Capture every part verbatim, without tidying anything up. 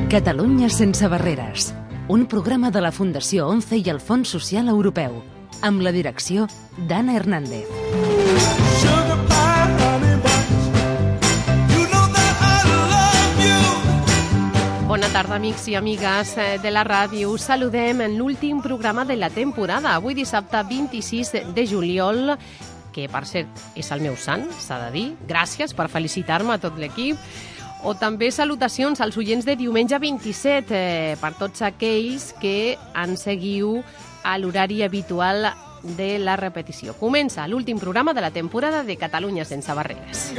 Catalunya sense barreres, un programa de la Fundació ONCE i el Fons Social Europeu, amb la direcció d'Anna Hernández. Bona tarda, amics i amigues de la ràdio. Us saludem en l'últim programa de la temporada, avui dissabte vint-i-sis de juliol, que per cert és el meu sant, s'ha de dir. Gràcies per felicitar-me a tot l'equip. O també salutacions als oients de diumenge vint-i-set, eh, per tots aquells que ens seguiu a l'horari habitual de la repetició. Comença l'últim programa de la temporada de Catalunya sense barreres.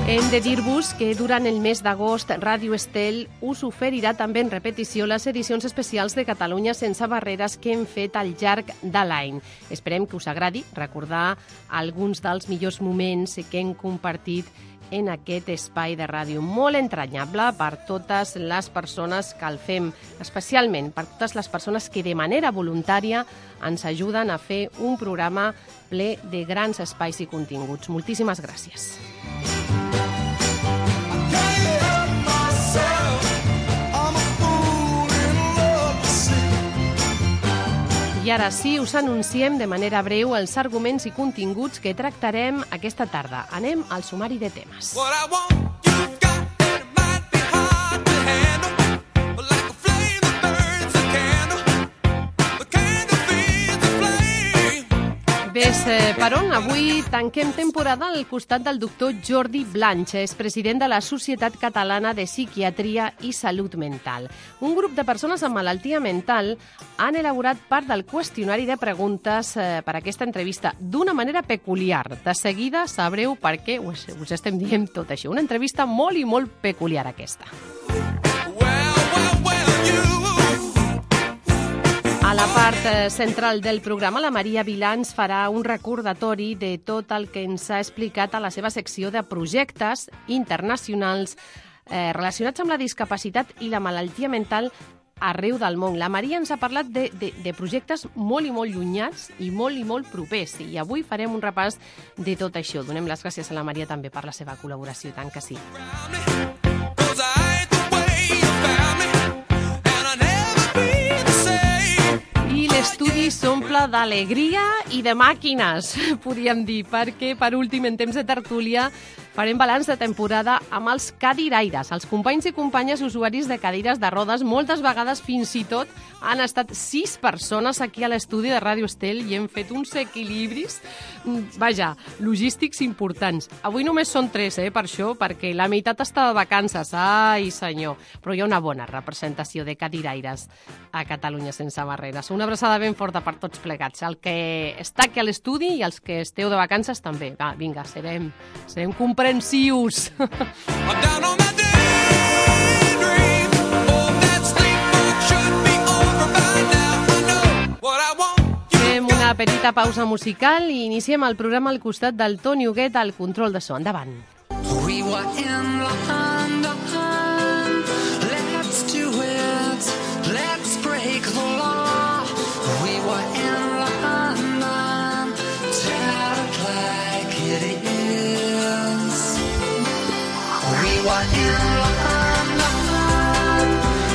Hem de dir-vos que durant el mes d'agost Ràdio Estel us oferirà també en repetició les edicions especials de Catalunya sense barreres que hem fet al llarg de l'any. Esperem que us agradi recordar alguns dels millors moments que hem compartit en aquest espai de ràdio molt entranyable per totes les persones que el fem, especialment per totes les persones que de manera voluntària ens ajuden a fer un programa ple de grans espais i continguts. Moltíssimes gràcies. I ara sí, us anunciem de manera breu els arguments i continguts que tractarem aquesta tarda. Anem al sumari de temes. Ves per on? Avui tanquem temporada al costat del doctor Jordi Blanch, és president de la Societat Catalana de Psiquiatria i Salut Mental. Un grup de persones amb malaltia mental han elaborat part del qüestionari de preguntes per a aquesta entrevista d'una manera peculiar. De seguida sabreu per què us, us estem dient tot això. Una entrevista molt i molt peculiar aquesta. A la part central del programa, la Maria Vilà ens farà un recordatori de tot el que ens ha explicat a la seva secció de projectes internacionals eh, relacionats amb la discapacitat i la malaltia mental arreu del món. La Maria ens ha parlat de, de, de projectes molt i molt llunyats i molt i molt propers. I avui farem un repàs de tot això. Donem les gràcies a la Maria també per la seva col·laboració, tant que sí. L'estudi s'omple d'alegria i de màquines, podríem dir, perquè per últim, en temps de tertúlia, farem balanç de temporada amb els cadiraires, els companys i companyes usuaris de cadires de rodes. Moltes vegades, fins i tot, han estat sis persones aquí a l'estudi de Ràdio Estel i hem fet uns equilibris, vaja, logístics importants. Avui només són tres, eh, per això, perquè la meitat està de vacances, ai senyor, però hi ha una bona representació de cadiraires a Catalunya sense barreres. Una abraçada ben forta per tots plegats, el que està aquí a l'estudi i els que esteu de vacances també. Va, vinga, serem, serem comprensius. Fem una petita pausa musical i iniciem el programa al costat del Toni Huguet al control de so. Endavant. We were in London, let's do it, let's break the law. We were in London, tell it like it is. We were in London,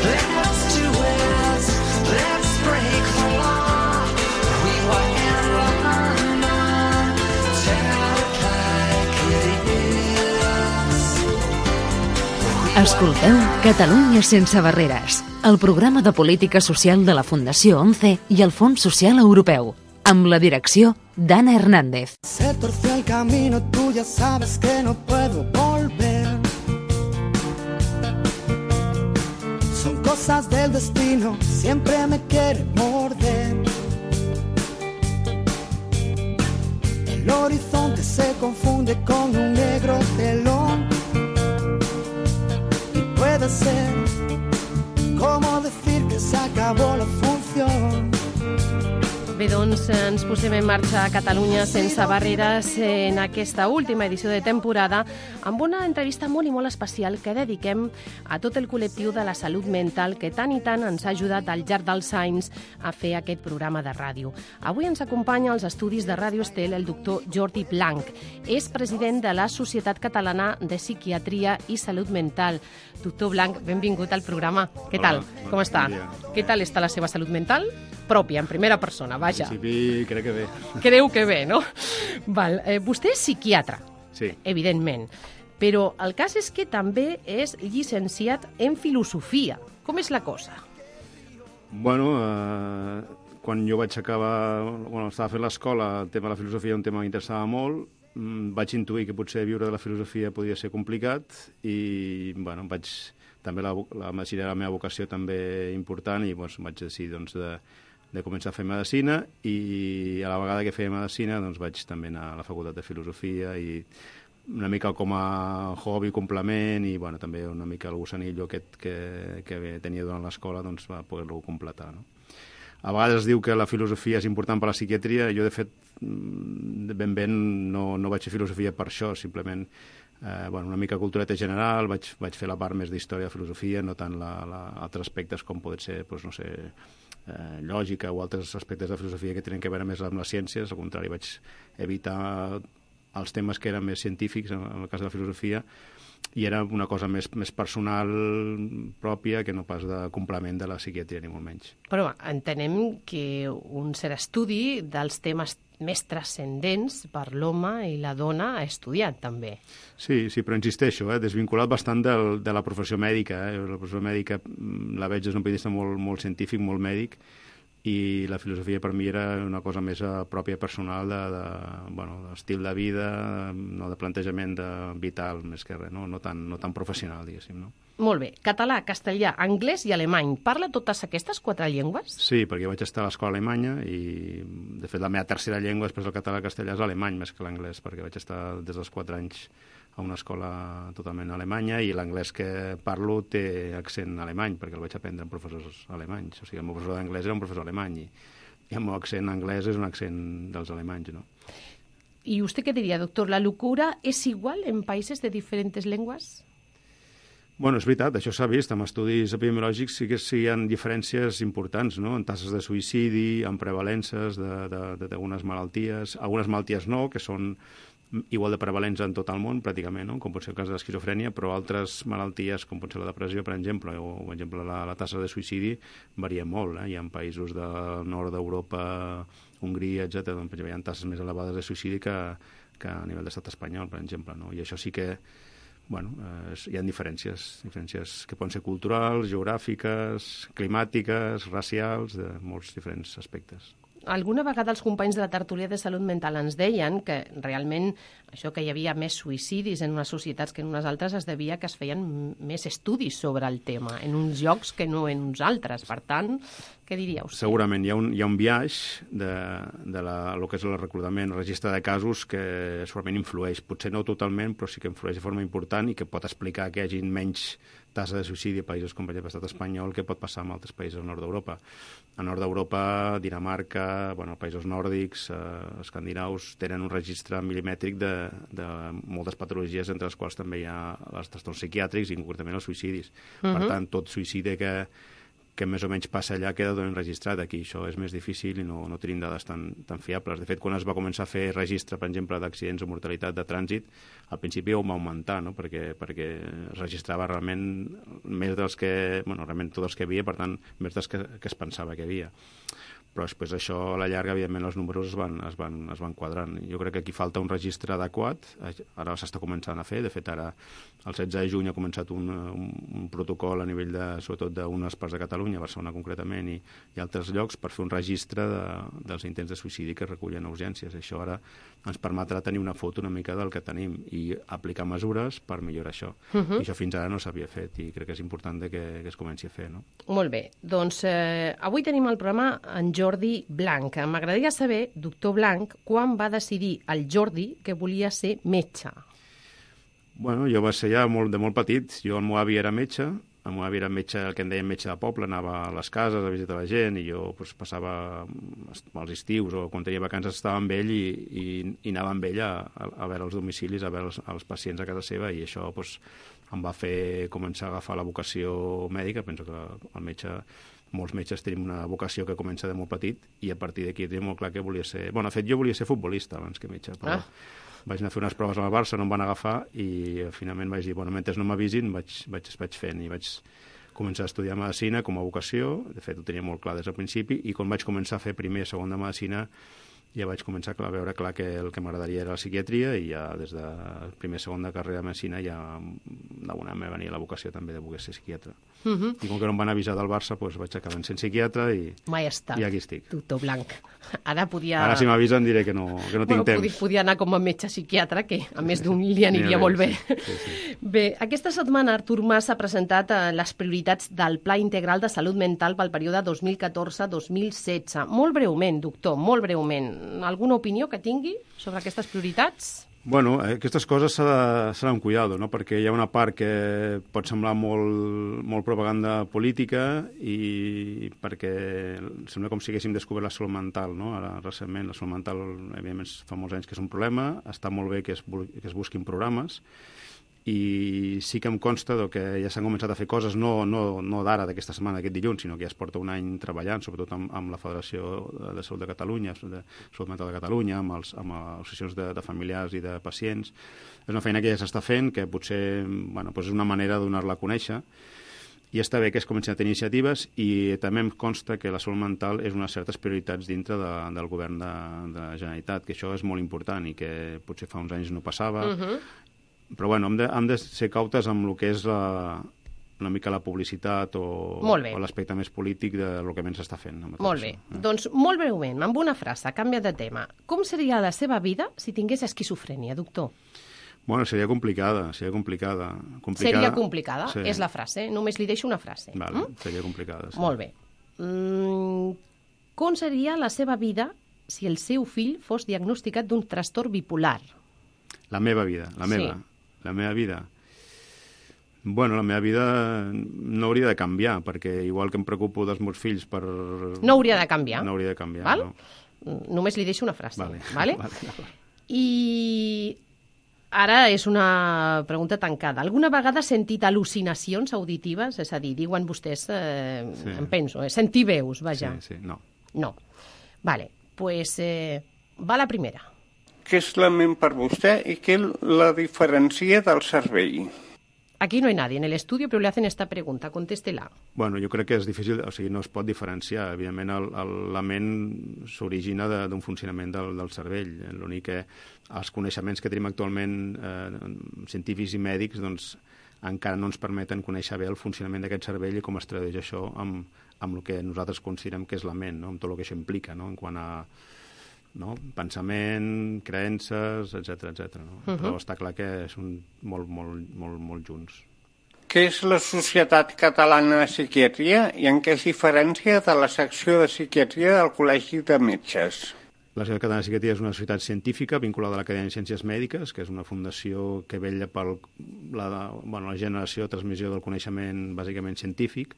let's do it, let's break the law. We were in London, tell it like it is. Escolteu Catalunya sense barreres, el programa de política social de la Fundació ONCE i el Fons Social Europeu, amb la direcció d'Anna Hernández. Se torció el camino, tú ya sabes que no puedo volver. Son cosas del destino, siempre me quiere morder. El horizonte se confunde con un negro telón. Y puede ser como decir que se acabó la función. Bé, doncs ens posem en marxa a Catalunya sense barreres en aquesta última edició de temporada amb una entrevista molt i molt especial que dediquem a tot el col·lectiu de la salut mental que tant i tant ens ha ajudat al llarg dels anys a fer aquest programa de ràdio. Avui ens acompanya als estudis de Ràdio Estel el doctor Jordi Blanch. És president de la Societat Catalana de Psiquiatria i Salut Mental. Doctor Blanch, benvingut al programa. Què tal? Hola, Com està? dia. Què tal està la seva salut mental? Pròpia, en primera persona, vaja. En principi crec que bé. Creu que bé, no? Val. Eh, vostè és psiquiatre, Sí. evidentment, però el cas és que també és llicenciat en filosofia. Com és la cosa? Bueno, eh, quan jo vaig acabar, bueno, estava fent l'escola, el tema de la filosofia era un tema que m'interessava molt, mm, vaig intuir que potser viure de la filosofia podia ser complicat i, bueno, vaig... També la, la medicina era la meva vocació també important i doncs, vaig decidir doncs, de, de començar a fer medicina i a la vegada que feia medicina doncs, vaig també anar a la facultat de filosofia i una mica com a hobby, complement i bueno, també una mica el gossanillo aquest que, que tenia durant l'escola doncs, va poder-lo completar. No? A vegades es diu que la filosofia és important per a la psiquiatria. Jo, de fet, ben ben no, no vaig fer filosofia per això, simplement eh, bueno, una mica cultureta general, vaig, vaig fer la part més d'història de filosofia, no tant la, la, altres aspectes com poden ser, doncs, no sé, eh, lògica o altres aspectes de filosofia que tenen que veure més amb les ciències. Al contrari, vaig evitar els temes que eren més científics, en el cas de la filosofia, i era una cosa més, més personal pròpia que no pas de complement de la psiquiatria, ni molt menys. Però entenem que un cert estudi dels temes més transcendents per l'home i la dona ha estudiat, també. Sí, sí, però insisteixo, eh, desvinculat bastant del, de la professió mèdica. Eh? La professió mèdica la veig des d'un punt de vista molt, molt científic, molt mèdic, i la filosofia per mi era una cosa més uh, pròpia personal de, de, bueno, d'estil de vida, no, de plantejament de vital, més que res, no, no, tan, no tan professional, diguéssim. No? Molt bé. Català, castellà, anglès i alemany. Parla totes aquestes quatre llengües? Sí, perquè vaig estar a l'escola alemanya i, de fet, la meva tercera llengua després del català i castellà és l'alemany més que l'anglès, perquè vaig estar des dels quatre anys a una escola totalment alemanya i l'anglès que parlo té accent alemany, perquè el vaig aprendre amb professors alemanys. O sigui, el meu professor d'anglès era un professor alemany i, i el meu accent anglès és un accent dels alemanys, no? ¿Y usted qué diría, doctor? ¿La locura es igual en países de diferentes lenguas? Bueno, és veritat, això s'ha vist. Amb estudis epidemiològics sí que sí hi ha diferències importants, no? En tasses de suïcidi, en prevalences d'algunes malalties, algunes malalties no, que són igual de prevalents en tot el món, pràcticament, no? Com pot ser el cas de l'esquizofrènia, però altres malalties, com pot ser la depressió, per exemple, o per exemple, la, la tassa de suïcidi varia molt. Eh? Hi ha països del nord d'Europa, Hongria, etcètera, on hi ha tasses més elevades de suïcidi que, que a nivell d'estat espanyol, per exemple. No? I això sí que, bueno, eh, hi ha diferències, diferències que poden ser culturals, geogràfiques, climàtiques, racials, de molts diferents aspectes. Alguna vegada els companys de la tertúlia de salut mental ens deien que realment això que hi havia més suïcidis en unes societats que en unes altres es devia que es feien més estudis sobre el tema, en uns llocs que no en uns altres. Per tant, què diríeu? Segurament hi ha un, hi ha un biaix de, de la, el que és el reclutament, el registre de casos que segurament influeix, potser no totalment, però sí que influeix de forma important i que pot explicar que hi hagi menys tassa de suïcidi a països com per exemple l'estat espanyol que pot passar en altres països del nord d'Europa. Al nord d'Europa, Dinamarca, bueno, països nòrdics, eh, escandinaus, tenen un registre milimètric de, de moltes patologies, entre les quals també hi ha els trastorns psiquiàtrics i concretament els suïcidis. Uh-huh. Per tant, tot suïcidi que, que més o menys passa allà queda ben registrat. Aquí això és més difícil i no, no tenim dades tan, tan fiables. De fet, quan es va començar a fer registre, per exemple, d'accidents o mortalitat de trànsit, al principi ho va augmentar, no? perquè, perquè es registrava realment més dels que, bueno, realment tots els que hi havia, per tant, més dels que, que es pensava que hi havia. Però després això, a la llarga, evidentment, els números es van, es van, es van quadrant. Jo crec que aquí falta un registre adequat. Ara s'està començant a fer. De fet, ara, el setze de juny, ha començat un, un, un protocol a nivell, de, sobretot, d'unes parts de Catalunya, Barcelona concretament, i, i altres llocs, per fer un registre de, dels intents de suïcidi que es recullen a urgències. Això ara ens permetrà tenir una foto una mica del que tenim i aplicar mesures per millorar això. Uh-huh. I això fins ara no s'havia fet i crec que és important que, que es comenci a fer. No? Molt bé. Doncs eh, avui tenim al programa en Jordi Blanch. M'agradaria saber, doctor Blanch, quan va decidir el Jordi que volia ser metge? Bueno, jo va ser ja molt, de molt petit. Jo, el meu avi era metge, el meu avi era metge, el que en deien metge de poble, anava a les cases a visitar la gent i jo pues, passava els estius o quan tenia vacances estava amb ell i, i, i anava amb ell a, a veure els domicilis, a veure els, els pacients a casa seva i això pues, em va fer començar a agafar la vocació mèdica. Penso que el metge, molts metges tenim una vocació que comença de molt petit i a partir d'aquí tenia molt clar que volia ser... Bueno, de fet, jo volia ser futbolista abans que metge, però... Ah. Vaig anar a fer unes proves al Barça, no em van agafar i finalment vaig dir, bueno, mentre no m'avisin vaig, vaig, vaig fent i vaig començar a estudiar Medicina com a vocació, de fet ho tenia molt clar des del principi i quan vaig començar a fer primer i segon de Medicina ja vaig començar a veure clar que el que m'agradaria era la psiquiatria i ja des de primer i segon de carrera de Medicina ja d'alguna me venia la vocació també de voler ser psiquiatre. Uh -huh. I com que no em van avisar del Barça, doncs vaig acabar sent psiquiatre i, Mai estat. i aquí estic. Doctor Blanc. Ara podia... Ara si m'avisen diré que no, que no tinc bueno, temps. Podia, podia anar com a metge psiquiatre, que a més d'un li aniria molt bé. Sí, sí, sí. Bé, aquesta setmana Artur Mas ha presentat eh, les prioritats del Pla Integral de Salut Mental pel període dos mil catorze dos mil setze. Molt breument, doctor, molt breument. Alguna opinió que tingui sobre aquestes prioritats? Bueno, aquestes coses s'ha de, s'ha amb cuidado, no? Perquè hi ha una part que pot semblar molt, molt propaganda política i perquè sembla com si haguéssim descobert la salut mental, no? Ara, recentment, la salut mental, evidentment, fa molts anys que és un problema, està molt bé que es, que es busquin programes i sí que em consta que ja s'han començat a fer coses, no, no, no d'ara, d'aquesta setmana, d'aquest dilluns, sinó que ja es porta un any treballant, sobretot amb, amb la Federació de Salut de Catalunya, de Salut Mental de Catalunya, amb, els, amb associacions de, de familiars i de pacients. És una feina que ja s'està fent, que potser bueno, doncs és una manera de donar-la a conèixer, i està bé que es comencin a tenir iniciatives i també em consta que la salut mental és unes certes prioritats dintre de, del govern de, de la Generalitat, que això és molt important i que potser fa uns anys no passava. Uh-huh. Però bueno, hem de, hem de ser cautes amb el que és la, una mica la publicitat o, o l'aspecte més polític del que menys s'està fent. Molt bé. Eh? Doncs molt breument, amb una frase, canvia de tema. Com seria la seva vida si tingués esquizofrènia, doctor? Bueno, seria complicada, seria complicada. complicada seria complicada, sí. És la frase. Només li deixo una frase. Vale, mm? Seria complicada, sí. Molt bé. Mm, com seria la seva vida si el seu fill fos diagnosticat d'un trastorn bipolar? La meva vida, la meva. Sí. La meva vida? Bueno, la meva vida no hauria de canviar, perquè igual que em preocupo dels meus fills per... No hauria de canviar. No hauria de canviar, val? No. Només li deixo una frase. Vale. Vale? Vale, vale. I ara és una pregunta tancada. Alguna vegada ha sentit al·lucinacions auditives? És a dir, diuen vostès, eh, sí. em penso, eh, sentir veus, vaja. Sí, sí, no. No. Vale, pues eh, va la primera. Què és la ment per vostè i què la diferencia del cervell? Aquí no hay nadie en el estudio, pero le hacen esta pregunta. Contéstela. Bueno, jo crec que és difícil, o sigui, no es pot diferenciar. Evidentment, el, el, la ment s'origina d'un funcionament del, del cervell. L'únic que els coneixements que tenim actualment eh, científics i mèdics doncs, encara no ens permeten conèixer bé el funcionament d'aquest cervell i com es tradueix això amb, amb el que nosaltres considerem que és la ment, no? Amb tot el que això implica, no? En quant a no? pensament, creences, etcètera, etcètera. No? Uh-huh. Però està clar que són molt, molt, molt, molt junts. Què és la Societat Catalana de Psiquiatria i en què es diferencia de la secció de psiquiatria del Col·legi de Metges? La Societat Catalana de Psiquiatria és una societat científica vinculada a l'Acadèmia de Ciències Mèdiques, que és una fundació que vetlla per la, bueno, la generació i transmissió del coneixement bàsicament científic,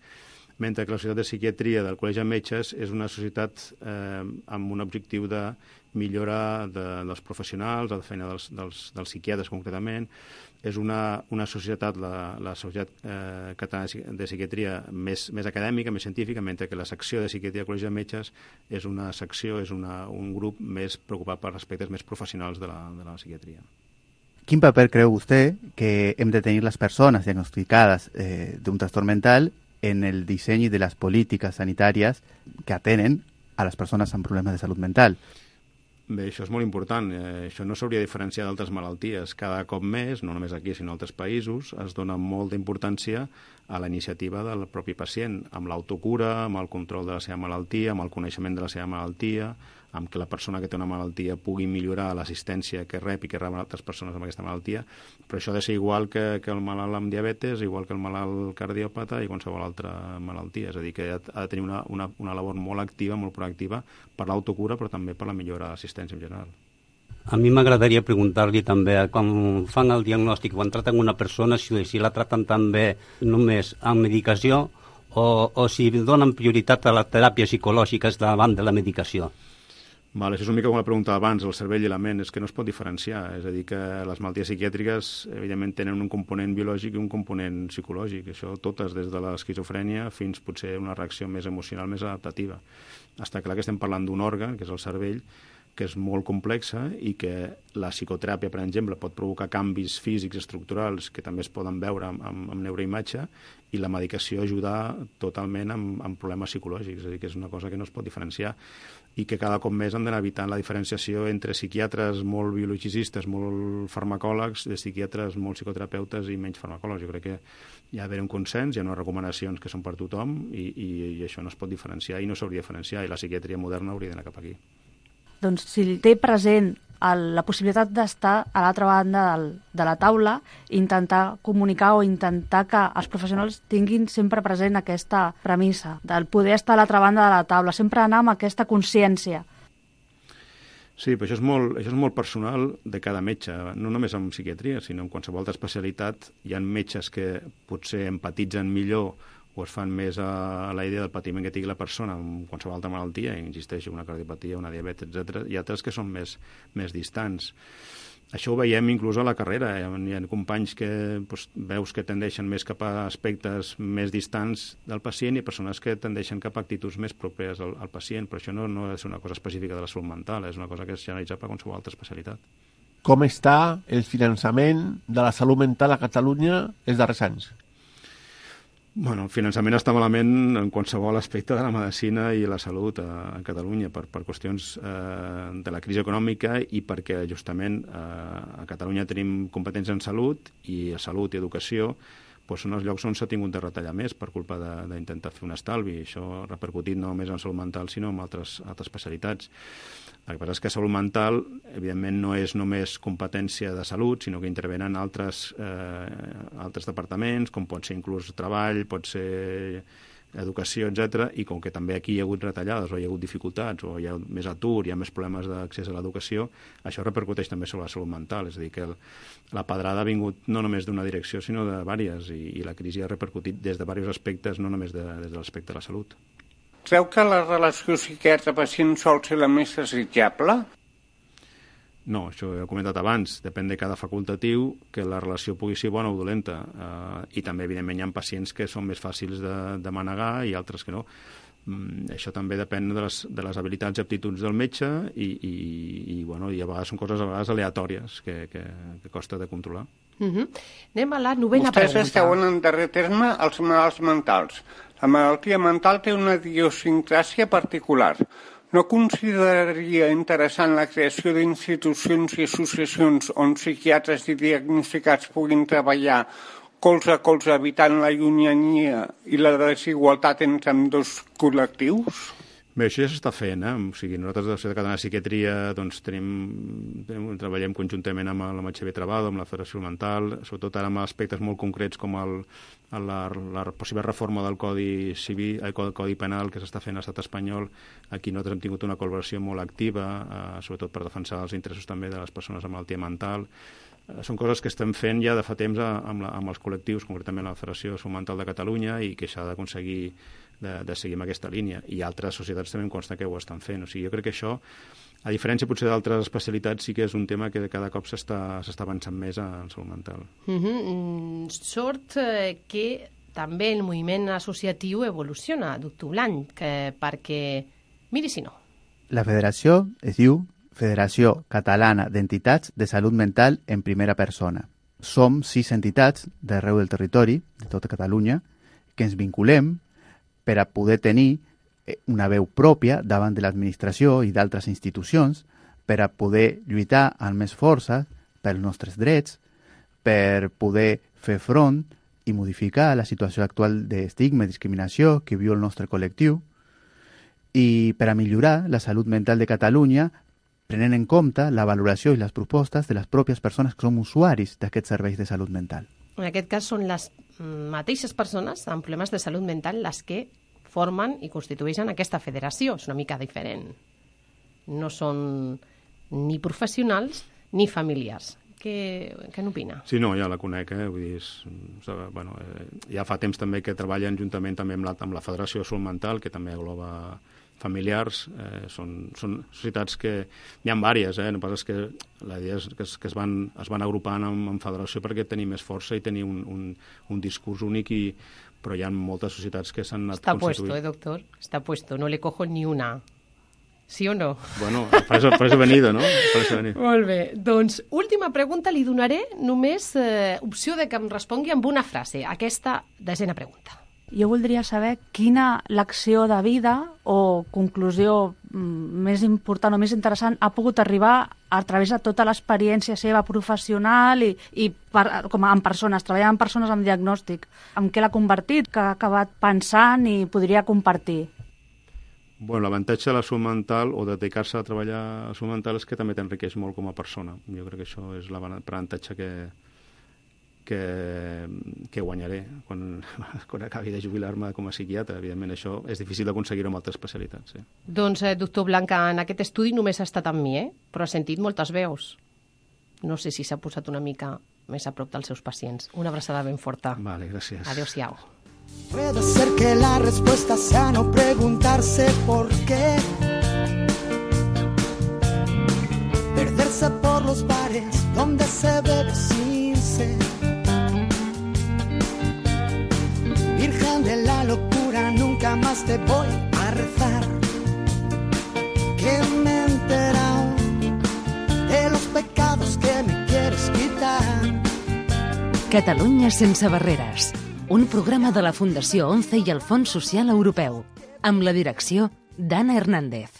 mentre que la Societat de Psiquiatria del Col·legi de Metges és una societat eh, amb un objectiu de millora de, dels professionals, de la feina dels, dels, dels psiquiatres concretament. És una, una societat, la, la Societat eh, Catalana de Psiquiatria, més, més acadèmica, més científica, mentre que la secció de Psiquiatria del Col·legi de Metges és una secció, és una, un grup més preocupat per aspectes més professionals de la, de la psiquiatria. Quin paper creu vostè que hem de tenir les persones diagnosticades eh, d'un trastorn mental en el disseny de les polítiques sanitàries que atenen a les persones amb problemes de salut mental? Bé, això és molt important. Eh, això no s'hauria de diferenciar d'altres malalties. Cada cop més, no només aquí, sinó en altres països, es dona molta importància a la iniciativa del propi pacient, amb l'autocura, amb el control de la seva malaltia, amb el coneixement de la seva malaltia, amb que la persona que té una malaltia pugui millorar l'assistència que rep i que reben altres persones amb aquesta malaltia, però això ha de ser igual que, que el malalt amb diabetes, igual que el malalt cardiòpata i qualsevol altra malaltia. És a dir, que ha de tenir una, una, una labor molt activa, molt proactiva per l'autocura, però també per la millora de l'assistència en general. A mi m'agradaria preguntar-li també, quan fan el diagnòstic, quan traten una persona, si, si la traten també només amb medicació o, o si donen prioritat a les teràpies psicològiques davant de la medicació. Vale, això és una mica com la pregunta abans, el cervell i la ment, és que no es pot diferenciar, és a dir, que les malalties psiquiàtriques evidentment tenen un component biològic i un component psicològic, això totes, des de l'esquizofrènia fins potser una reacció més emocional, més adaptativa. Està clar que estem parlant d'un òrgan, que és el cervell, que és molt complexa i que la psicoteràpia, per exemple, pot provocar canvis físics estructurals que també es poden veure amb, amb, amb neuroimatge, i la medicació ajudar totalment amb, amb problemes psicològics, és a dir, que és una cosa que no es pot diferenciar i que cada cop més han d'anar evitant la diferenciació entre psiquiatres molt biologicistes, molt farmacòlegs, de psiquiatres molt psicoterapeutes i menys farmacòlegs. Jo crec que hi ha d'haver un consens, hi ha unes recomanacions que són per tothom i, i, i això no es pot diferenciar i no s'hauria de diferenciar, i la psiquiatria moderna hauria d'anar cap aquí. Doncs si té present el, la possibilitat d'estar a l'altra banda del, de la taula, intentar comunicar o intentar que els professionals tinguin sempre present aquesta premissa del poder estar a l'altra banda de la taula, sempre anar amb aquesta consciència. Sí, però això és, molt, això és molt personal de cada metge, no només en psiquiatria, sinó en qualsevol altra especialitat. Hi ha metges que potser empatitzen millor o es fan més a la idea del patiment que tingui la persona amb qualsevol altra malaltia, insisteixo, una cardiopatia, una diabetes, etcètera, i altres que són més, més distants. Això ho veiem inclús a la carrera. Hi ha companys que doncs, veus que tendeixen més cap a aspectes més distants del pacient i persones que tendeixen cap a actituds més properes al, al pacient, però això no, no ha de ser una cosa específica de la salut mental, és una cosa que és generalitzada per qualsevol altra especialitat. Com està el finançament de la salut mental a Catalunya els darrers anys? Bueno, el finançament està malament en qualsevol aspecte de la medicina i la salut a, a Catalunya per, per qüestions eh, de la crisi econòmica i perquè justament eh, a Catalunya tenim competències en salut i a salut i educació doncs són els llocs on s'ha tingut de retallar més per culpa d'intentar fer un estalvi. Això ha repercutit no només en salut mental sinó en altres, altres especialitats. El que passa és que salut mental, evidentment, no és només competència de salut, sinó que intervenen altres, eh, altres departaments, com pot ser inclús treball, pot ser educació, etcètera, i com que també aquí hi ha hagut retallades o hi ha hagut dificultats o hi ha més atur, hi ha més problemes d'accés a l'educació, això repercuteix també sobre la salut mental. És a dir, que el, la pedrada ha vingut no només d'una direcció, sinó de diverses, i, i la crisi ha repercutit des de diversos aspectes, no només de, des de l'aspecte de la salut. Creu que la relació psiquiatre-pacient sol ser la més desitjable? No, això ho he comentat abans, depèn de cada facultatiu que la relació pugui ser bona o dolenta, eh, i també evidentment hi ha pacients que són més fàcils de, de manegar i altres que no. Mm, això també depèn de les, de les habilitats i aptituds del metge i, i, i, bueno, i a vegades són coses a vegades aleatòries que, que, que costa de controlar. Uh-huh. Anem a la novena Vostès pregunta. esteu en darrer terme els malalts mentals. La malaltia mental té una idiosincràsia particular. No consideraria interessant la creació d'institucions i associacions on psiquiatres i diagnosticats puguin treballar colze a colze evitant la llunyania i la desigualtat entre ambdós col·lectius? Bé, això ja s'està fent, eh? O sigui, nosaltres a la Societat Catalana de Psiquiatria doncs, tenim, tenim, treballem conjuntament amb la H B Trebado, amb la Federació Mental, sobretot ara amb aspectes molt concrets com el, la, la possible reforma del Codi Civil, el Codi Penal que s'està fent a l'estat espanyol. Aquí nosaltres hem tingut una col·laboració molt activa, eh, sobretot per defensar els interessos també de les persones amb malaltia mental. Eh, són coses que estem fent ja de fa temps amb, la, amb els col·lectius, concretament la Federació de Salut Mental de Catalunya, i que s'ha d'aconseguir De, de seguir amb aquesta línia, i altres societats també em consta que ho estan fent. O sigui, jo crec que això, a diferència potser d'altres especialitats, sí que és un tema que cada cop s'està avançant més en salut mental. Uh-huh. Sort eh, que també el moviment associatiu evoluciona, doctor Blanch, que, perquè, miri si no. La federació es diu Federació Catalana d'Entitats de Salut Mental en Primera Persona. Som sis entitats d'arreu del territori, de tota Catalunya, que ens vinculem per a poder tenir una veu pròpia davant de l'administració i d'altres institucions, per a poder lluitar amb més força pels nostres drets, per poder fer front i modificar la situació actual d'estigma i discriminació que viu el nostre col·lectiu, i per a millorar la salut mental de Catalunya, prenent en compte la valoració i les propostes de les pròpies persones que som usuaris d'aquests serveis de salut mental. En aquest cas són les mateixes persones amb problemes de salut mental les que formen i constitueixen aquesta federació. És una mica diferent. No són ni professionals ni familiars. Què, què n'opina? Sí, no, ja la conec, eh? Vull dir, és, bueno, eh, ja fa temps també que treballen juntament també amb la, amb la Federació de Salut Mental, que també engloba familiars, eh, són, són societats que hi ha diverses, eh? No pas és que la idea és que es, que es, van, es van agrupant en, en federació perquè tenir més força i tenir un, un, un discurs únic, i, però hi ha moltes societats que s'han anat Està constituint. puesto, eh, doctor? Està puesto, no le cojo ni una. Sí o no? Bueno, per això, per això he venido, no? Per això he venido. Molt bé. Doncs, última pregunta, li donaré només eh, opció de que em respongui amb una frase. Aquesta desena pregunta. Jo voldria saber quina lecció de vida o conclusió mm, més important o més interessant ha pogut arribar a través de tota l'experiència seva professional i, i per, com a, en persones, treballar amb persones amb diagnòstic. En què l'ha convertit, que ha acabat pensant i podria compartir? Bueno, l'avantatge de la salut mental o de dedicar-se a treballar a la salut mental és que també t'enriqueix molt com a persona. Jo crec que això és l'avantatge que, que, que guanyaré quan, quan acabi de jubilar-me com a psiquiatre. Evidentment, això és difícil d'aconseguir amb altres especialitats. Sí. Doncs, eh, doctor Blanca, en aquest estudi només ha estat amb mi, eh? Però ha sentit moltes veus. No sé si s'ha posat una mica més a prop dels seus pacients. Una abraçada ben forta. Vale, gràcies. Adéu-siau. Puede ser que la respuesta sea no preguntarse por qué, perderse por los bares donde se bebe sin sed, virgen de la locura, nunca más te voy a rezar, que me he enterado de los pecados que me quieres quitar. Catalunya sense barreres, un programa de la Fundació ONCE i el Fons Social Europeu, amb la direcció d'Anna Hernández.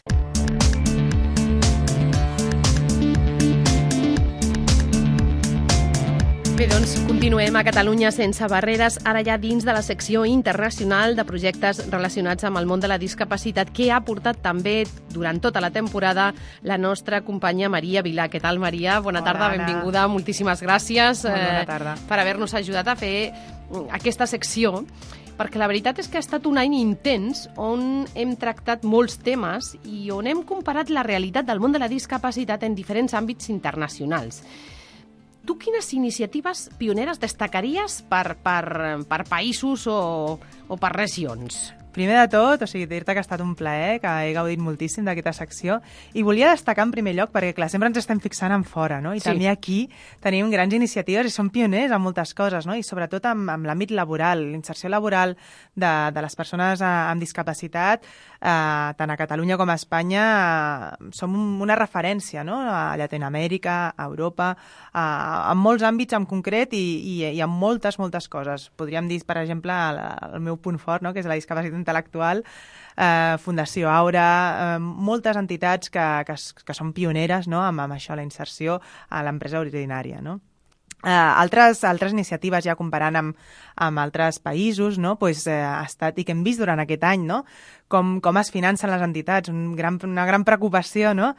Bé, doncs continuem a Catalunya sense barreres, ara ja dins de la secció internacional de projectes relacionats amb el món de la discapacitat, que ha portat també durant tota la temporada la nostra companya Maria Vilà. Què tal, Maria? Bona Hola, tarda, Anna. benvinguda. Moltíssimes gràcies Molt bona tarda. eh, per haver-nos ajudat a fer aquesta secció, perquè la veritat és que ha estat un any intens on hem tractat molts temes i on hem comparat la realitat del món de la discapacitat en diferents àmbits internacionals. Tu quines iniciatives pioneres destacaries per, per, per països o, o per regions? Primer de tot, o sigui, dir-te que ha estat un plaer, que he gaudit moltíssim d'aquesta secció, i volia destacar en primer lloc, perquè clar, sempre ens estem fixant en fora, no? I Sí. també aquí tenim grans iniciatives i som pioners en moltes coses, no? I sobretot amb, amb l'àmbit laboral, l'inserció laboral de, de les persones eh, amb discapacitat, eh, tant a Catalunya com a Espanya, eh, som un, una referència, no? A Llatinoamèrica, a Europa, eh, en molts àmbits en concret i, i, i en moltes, moltes coses. Podríem dir, per exemple, el, el meu punt fort, no? Que és la discapacitat intel·lectual, eh, Fundació Aura, eh, moltes entitats que, que, que són pioneres, no? amb, amb això, la inserció a l'empresa ordinària, no? Uh, altres, altres iniciatives, ja comparant amb, amb altres països, no? pues, eh, ha estat, i que hem vist durant aquest any, no? com, com es financen les entitats, un gran, una gran preocupació, no?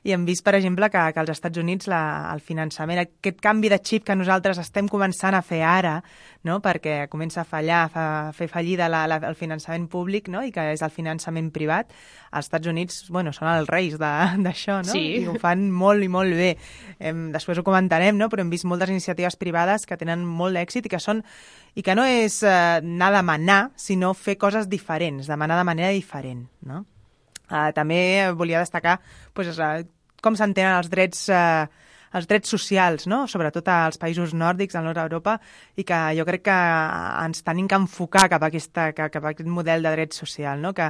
I hem vist, per exemple, que, que als Estats Units la, el finançament, aquest canvi de xip que nosaltres estem començant a fer ara, no? perquè comença a fallar, a fer fallida la, la, el finançament públic, no? i que és el finançament privat, als Estats Units bueno, són els reis d'això, no? Sí. I ho fan molt i molt bé. Hem, després ho comentarem, no? però hem vist moltes iniciatives privades que tenen molt d'èxit i que són i que no és eh, anar a demanar, sinó fer coses diferents, demanar de manera diferent, no? Uh, també volia destacar pues, uh, com s'entenen els drets uh, els drets socials, no? sobretot als països nòrdics, al nord d'Europa, i que jo crec que ens tenim que enfocar cap a, aquesta, cap a aquest model de dret social, no? que,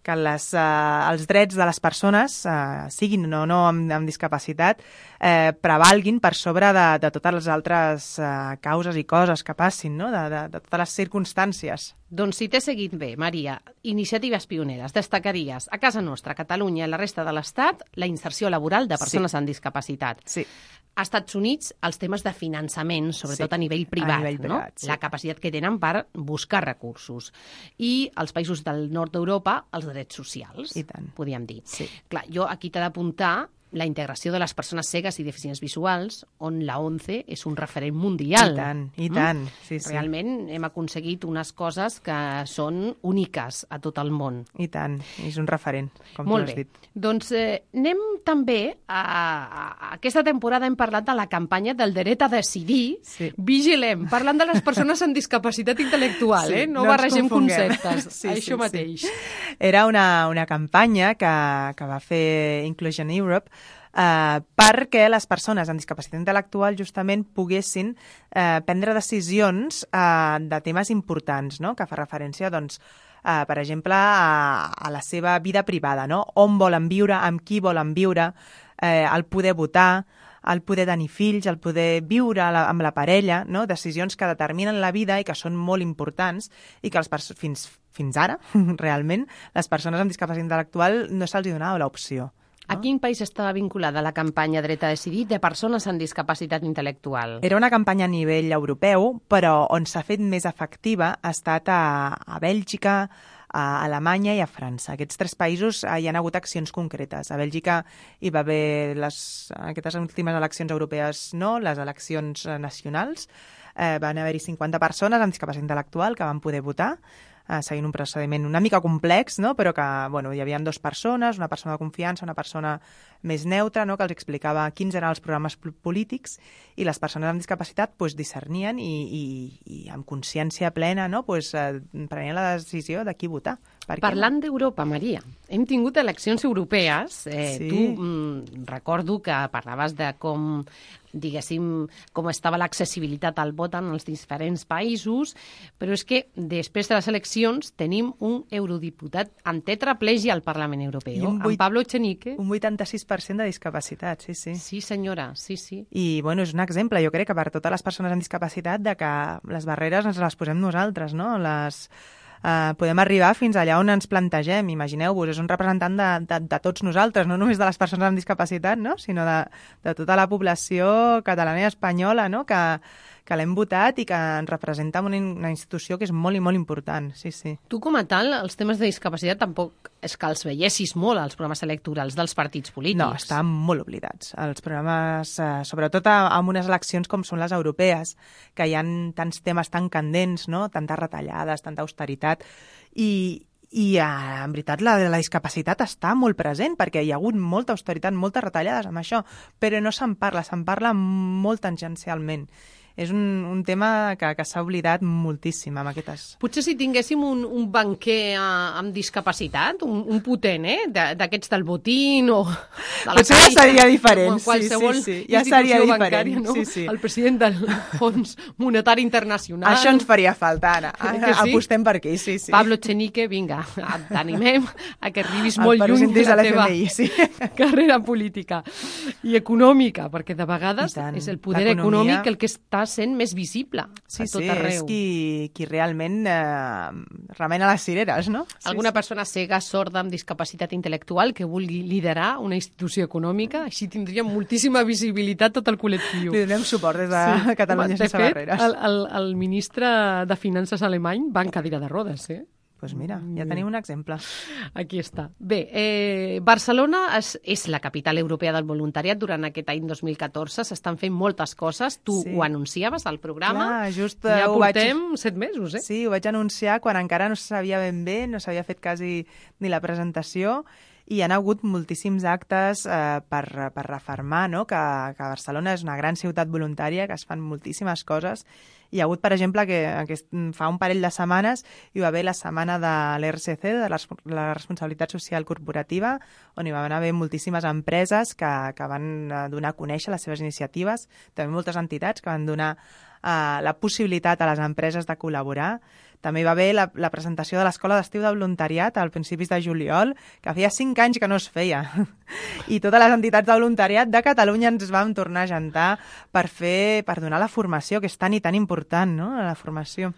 que les, uh, els drets de les persones, uh, siguin o no amb, amb discapacitat, eh, prevalguin per sobre de, de totes les altres uh, causes i coses que passin, no? de, de, de totes les circumstàncies. Doncs si t'he seguit bé, Maria, iniciatives pioneres, destacaries a casa nostra, a Catalunya i a la resta de l'Estat, la inserció laboral de persones sí. amb discapacitat. Sí. A Estats Units, els temes de finançament, sobretot Sí, a nivell privat, a nivell privat, no? sí. La capacitat que tenen per buscar recursos. I als països del nord d'Europa, els drets socials, I tant. podríem dir. Sí. Clar, jo aquí t'he d'apuntar la integració de les persones cegues i deficients visuals, on la ONCE és un referent mundial. I tant, i tant. Mm? Sí, sí. Realment hem aconseguit unes coses que són úniques a tot el món. I tant, és un referent, com Molt tu has bé. dit. Doncs eh, anem també a, a, a... Aquesta temporada hem parlat de la campanya del dret a decidir. Sí. Vigilem, parlant de les persones amb discapacitat intel·lectual, Sí, eh? No, no ens barregem confonguem. conceptes. Sí, Això sí, mateix. sí. Era una, una campanya que, que va fer Inclusion Europe eh, perquè les persones amb discapacitat intel·lectual justament poguessin eh, prendre decisions eh, de temes importants, no? Que fa referència, doncs, eh, per exemple, a, a la seva vida privada, no? On volen viure, amb qui volen viure, eh, el poder votar, el poder tenir fills, el poder viure la, amb la parella, no? Decisions que determinen la vida i que són molt importants i que els fins, fins ara, realment, les persones amb discapacitat intel·lectual no se'ls donava l'opció. A quin país estava vinculada la campanya Dret a Decidir de persones amb discapacitat intel·lectual? Era una campanya a nivell europeu, però on s'ha fet més efectiva ha estat a, a Bèlgica, a Alemanya i a França. Aquests tres països eh, hi ha hagut accions concretes. A Bèlgica hi va haver les, aquestes últimes eleccions europees, no, les eleccions nacionals. Eh, van haver-hi cinquanta persones amb discapacitat intel·lectual que van poder votar, eh, seguint un procediment una mica complex, no? Però que bueno, hi havia dues persones, una persona de confiança, una persona més neutra, no? Que els explicava quins eren els programes polítics i les persones amb discapacitat pues, discernien i, i, i amb consciència plena no? pues, eh, prenien la decisió de qui votar. Parlant d'Europa, Maria, hem tingut eleccions europees. Eh, Sí. Tu mm, recordo que parlaves de com diguéssim, com estava l'accessibilitat al vot en els diferents països, però és que després de les eleccions tenim un eurodiputat en tetraplegia al Parlament Europeu, un vuit- en Pablo Echenique. Un vuitanta-sis per cent de discapacitat, sí, sí. Sí, senyora, sí, sí. I, bueno, és un exemple, jo crec que per totes les persones amb discapacitat de que les barreres ens les posem nosaltres, no? Les, eh, podem arribar fins allà on ens plantegem. Imagineu-vos, és un representant de, de, de tots nosaltres, no només de les persones amb discapacitat, no? Sinó de, de tota la població catalana i espanyola, no? Que, que l'hem votat i que ens representa una, una institució que és molt i molt important, sí, sí. Tu, com a tal, els temes de discapacitat tampoc és que els veiessis molt als programes electorals dels partits polítics. No, estan molt oblidats. Els programes, eh, sobretot amb unes eleccions com són les europees, que hi ha tants temes tan candents, no? Tantes retallades, tanta austeritat, i, i eh, en veritat la, la discapacitat està molt present, perquè hi ha hagut molta austeritat, moltes retallades amb això, però no se'n parla, se'n parla molt tangencialment. És un, un tema que, que s'ha oblidat moltíssim amb aquestes... Potser si tinguéssim un, un banquer eh, amb discapacitat, un, un potent, eh? d'aquests del botín o... De la Potser ja seria diferent, sí, qualsevol sí, sí. Ja seria diferent, bancària, no? sí, sí. El president del Fons Monetari Internacional. Això ens faria falta, Anna. Que sí? Apostem per aquí, sí, sí. Pablo Echenique, vinga, t'animem a que arribis El molt lluny de la de teva l'F M I, sí. carrera política i econòmica, perquè de vegades tant. és el poder L'economia- econòmic el que està sent més visible Sí, a tot sí, arreu. és qui, qui realment eh, remena les cireres, no? Sí, Alguna sí. persona cega, sorda, amb discapacitat intel·lectual que vulgui liderar una institució econòmica, així tindria moltíssima visibilitat tot el col·lectiu. Li donem suport des de sí. Catalunya de sense fet, barreres. El, el, el ministre de Finances alemany va en cadira de rodes, eh? Doncs pues mira, ja tenim un exemple. Aquí està. Bé, eh, Barcelona és, és la capital europea del voluntariat. Durant aquest any dos mil catorze s'estan fent moltes coses. Tu Sí. ho anunciaves al programa. Clar, just, ja eh, ho vaig- portem set mesos, eh? Sí, ho vaig anunciar quan encara no se sabia ben bé, no s'havia fet quasi ni la presentació, i hi ha hagut moltíssims actes eh, per, per refermar no? que, que Barcelona és una gran ciutat voluntària, que es fan moltíssimes coses. Hi ha hagut, per exemple, que, que fa un parell de setmanes hi va haver la setmana de l'R C C, de la, la responsabilitat social corporativa, on hi van haver moltíssimes empreses que, que van eh, donar a conèixer les seves iniciatives, també moltes entitats que van donar eh, la possibilitat a les empreses de col·laborar. També hi va haver la, la presentació de l'Escola d'Estiu de Voluntariat al principis de juliol, que feia cinc anys que no es feia. I totes les entitats de voluntariat de Catalunya ens vam tornar a jantar per fer, per donar la formació, que és tan i tan important, no?, la formació.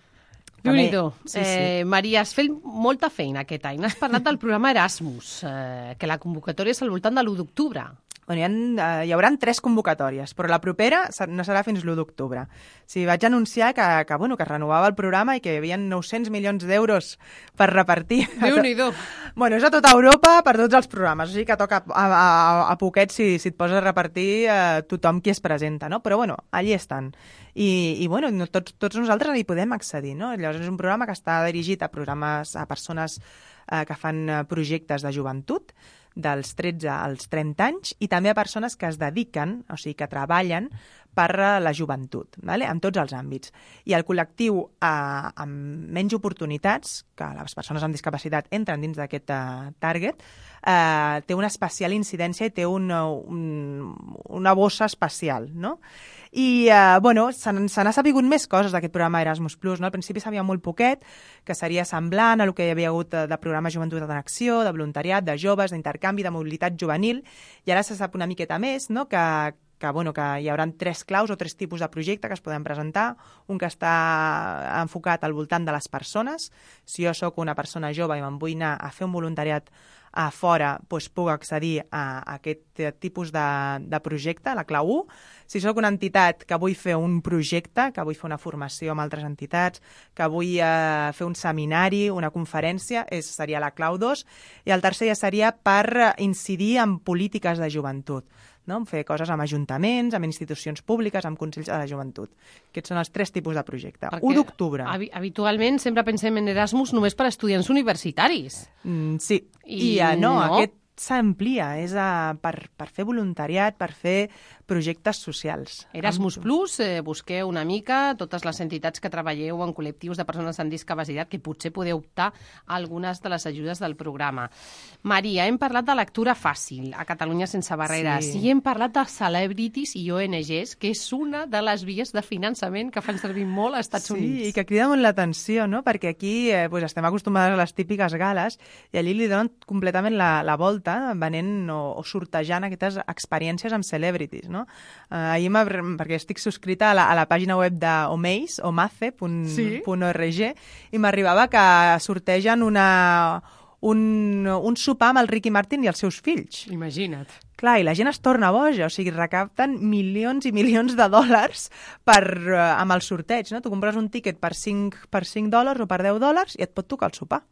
Déu-n'hi-do. Sí, sí. Eh, Maria, has fet molta feina aquest any. Has parlat del programa Erasmus, eh, que la convocatòria és al voltant de l'u d'octubre. Bueno, hi, ha, hi haurà tres convocatòries, però la propera no serà fins l'u d'octubre. O sigui, vaig anunciar que, que, bueno, que es renovava el programa i que hi havia nou-cents milions d'euros per repartir. Déu-n'hi-do. Bueno, és a tota Europa per tots els programes, o sigui que toca a, a, a poquet si, si et poses a repartir eh, tothom qui es presenta, no? Però bueno, allí estan. I, i bueno, no, tots, tots nosaltres hi podem accedir, no? Llavors és un programa que està dirigit a programes, a persones eh, que fan projectes de joventut, dels tretze als trenta anys, i també a persones que es dediquen, o sigui, que treballen per la joventut, vale? En tots els àmbits. I el col·lectiu eh, amb menys oportunitats, que les persones amb discapacitat entren dins d'aquest eh, target, eh, té una especial incidència i té un, un, una bossa especial, no? I, eh, bueno, se n'ha sabut més coses d'aquest programa Erasmus Plus, no? Al principi sabia molt poquet, que seria semblant a el que hi havia hagut de programa Joventut en Acció, de voluntariat, de joves, d'intercanvi, de mobilitat juvenil, i ara se sap una miqueta més, no?, que, que, bueno, que hi haurà tres claus o tres tipus de projecte que es poden presentar. Un que està enfocat al voltant de les persones. Si jo sóc una persona jove i me'n vull anar a fer un voluntariat a fora, doncs puc accedir a aquest tipus de, de projecte, la clau u. Si sóc una entitat que vull fer un projecte, que vull fer una formació amb altres entitats, que vull eh, fer un seminari, una conferència, és, seria la clau dos. I el tercer ja seria per incidir en polítiques de joventut, no? Fer coses amb ajuntaments, amb institucions públiques, amb consells de la joventut. Aquests són els tres tipus de projecte. Perquè u d'octubre. Habitualment sempre pensem en Erasmus només per a estudiants universitaris. Mm, sí, i, I uh, no, no, aquest s'amplia, és uh, per, per fer voluntariat, per fer projectes socials. Erasmus Plus, eh, busqueu una mica totes les entitats que treballeu en col·lectius de persones amb discapacitat que potser podeu optar a algunes de les ajudes del programa. Maria, hem parlat de lectura fàcil a Catalunya sense barreres, sí. I hem parlat de celebrities i O N Ges, que és una de les vies de finançament que fan servir molt als Estats sí, Units. Sí, i que crida molt l'atenció, no? Perquè aquí eh, pues, estem acostumades a les típiques gales i allí li donen completament la, la volta venent o, o sortejant aquestes experiències amb celebrities, no? Uh, ahir perquè estic subscrita a la, a la pàgina web d'Omace, omace punt org, sí? I m'arribava que sortegen una, un, un sopar amb el Ricky Martin i els seus fills. Imagina't. Clar, i la gent es torna boja, o sigui, recapten milions i milions de dòlars per, uh, amb el sorteig, no? Tu compres un tíquet per cinc, per cinc dòlars o per deu dòlars i et pot tocar el sopar.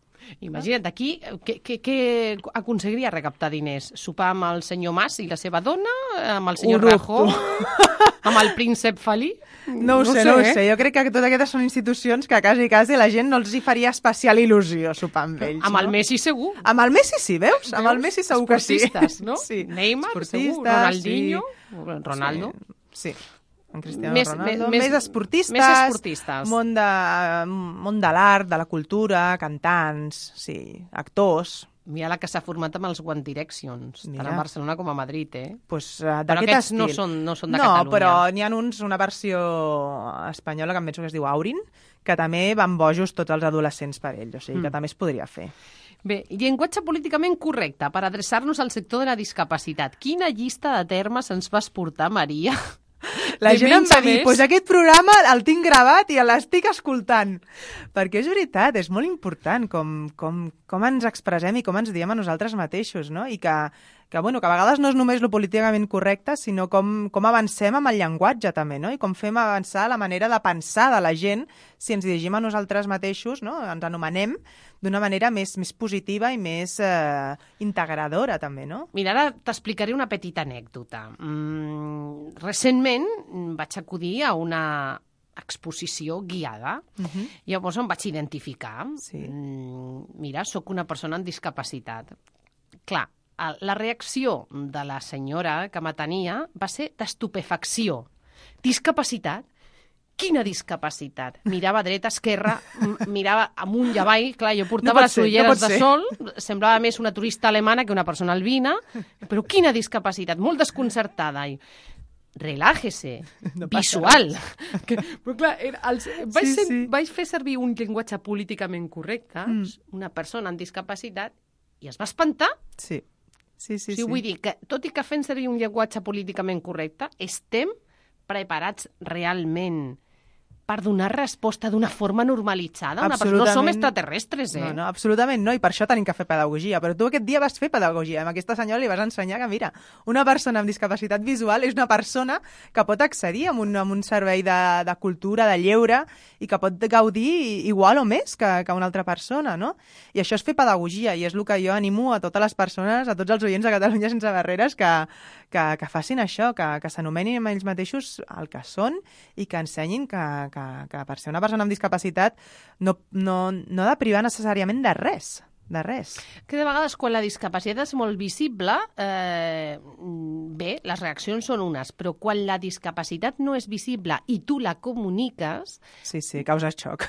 Imagina't, aquí, què, què, què aconseguiria recaptar diners? Sopar amb el senyor Mas i la seva dona? Amb el senyor Rajoy? Amb el príncep Felí? No ho no sé, sé, no ho eh? sé. Jo crec que totes aquestes són institucions que quasi, quasi la gent no els hi faria especial il·lusió sopar amb ells. Amb no? el Messi segur. Amb el Messi sí, veus? veus? Amb el Messi segur que sí. Esportistes, no? Sí. Neymar, segur. Ronaldinho. Sí. Ronaldo. Sí. sí. En Cristiano més, Ronaldo, més, més esportistes, més esportistes. Món de, món de l'art, de la cultura, cantants, sí, actors. Mira la que s'ha format amb els One Directions, Mira. tant a Barcelona com a Madrid, eh? Pues, uh, però aquests estil. no són, no són de no, Catalunya. No, però n'hi ha uns, una versió espanyola que em penso que es diu Aurin, que també van bojos tots els adolescents per ell, o sigui mm. que també es podria fer. Bé, llenguatge políticament correcte per adreçar-nos al sector de la discapacitat. Quina llista de termes ens vas portar, Maria? La gent em va dir, pues aquest programa el tinc gravat i l'estic escoltant. Perquè és veritat, és molt important com, com, com ens expressem i com ens diem a nosaltres mateixos, no? I que, que, bueno, que a vegades no és només lo políticament correcte, sinó com, com avancem amb el llenguatge també, no? I com fem avançar la manera de pensar de la gent si ens dirigim a nosaltres mateixos, no? Ens anomenem d'una manera més, més positiva i més eh, integradora, també, no? Mira, ara t'explicaré una petita anècdota. Mm, recentment vaig acudir a una exposició guiada. Uh-huh. Llavors em vaig identificar. Sí. Mm, mira, sóc una persona amb discapacitat. Clar, la reacció de la senyora que m'atenia va ser d'estupefacció. Discapacitat? Quina discapacitat? Mirava dreta, esquerra, mirava amunt i avall. Clar, jo portava no les ulleres no de sol, semblava més una turista alemana que una persona albina, però quina discapacitat, molt desconcertada. I, relájese, no visual. Que, però clar, els, vaig, sí, ser, sí. vaig fer servir un llenguatge políticament correcte, mm. una persona amb discapacitat, i es va espantar. Sí, sí, sí. O sigui, sí. Vull dir que, tot i que fent servir un llenguatge políticament correcte, estem preparats realment per donar resposta d'una forma normalitzada. Una persona. No som extraterrestres, eh? No, no, absolutament no, i per això tenim que fer pedagogia. Però tu aquest dia vas fer pedagogia. Amb aquesta senyora li vas ensenyar que, mira, una persona amb discapacitat visual és una persona que pot accedir a un, a un servei de, de cultura, de lleure, i que pot gaudir igual o més que, que una altra persona, no? I això és fer pedagogia, i és el que jo animo a totes les persones, a tots els oients de Catalunya Sense Barreres, que, que, que facin això, que, que s'anomenin ells mateixos el que són i que ensenyin que, que, que per ser una persona amb discapacitat no, no, no ha de privar necessàriament de res. De res. Que de vegades, quan la discapacitat és molt visible, eh, bé, les reaccions són unes, però quan la discapacitat no és visible i tu la comuniques... Sí, sí, causa xoc.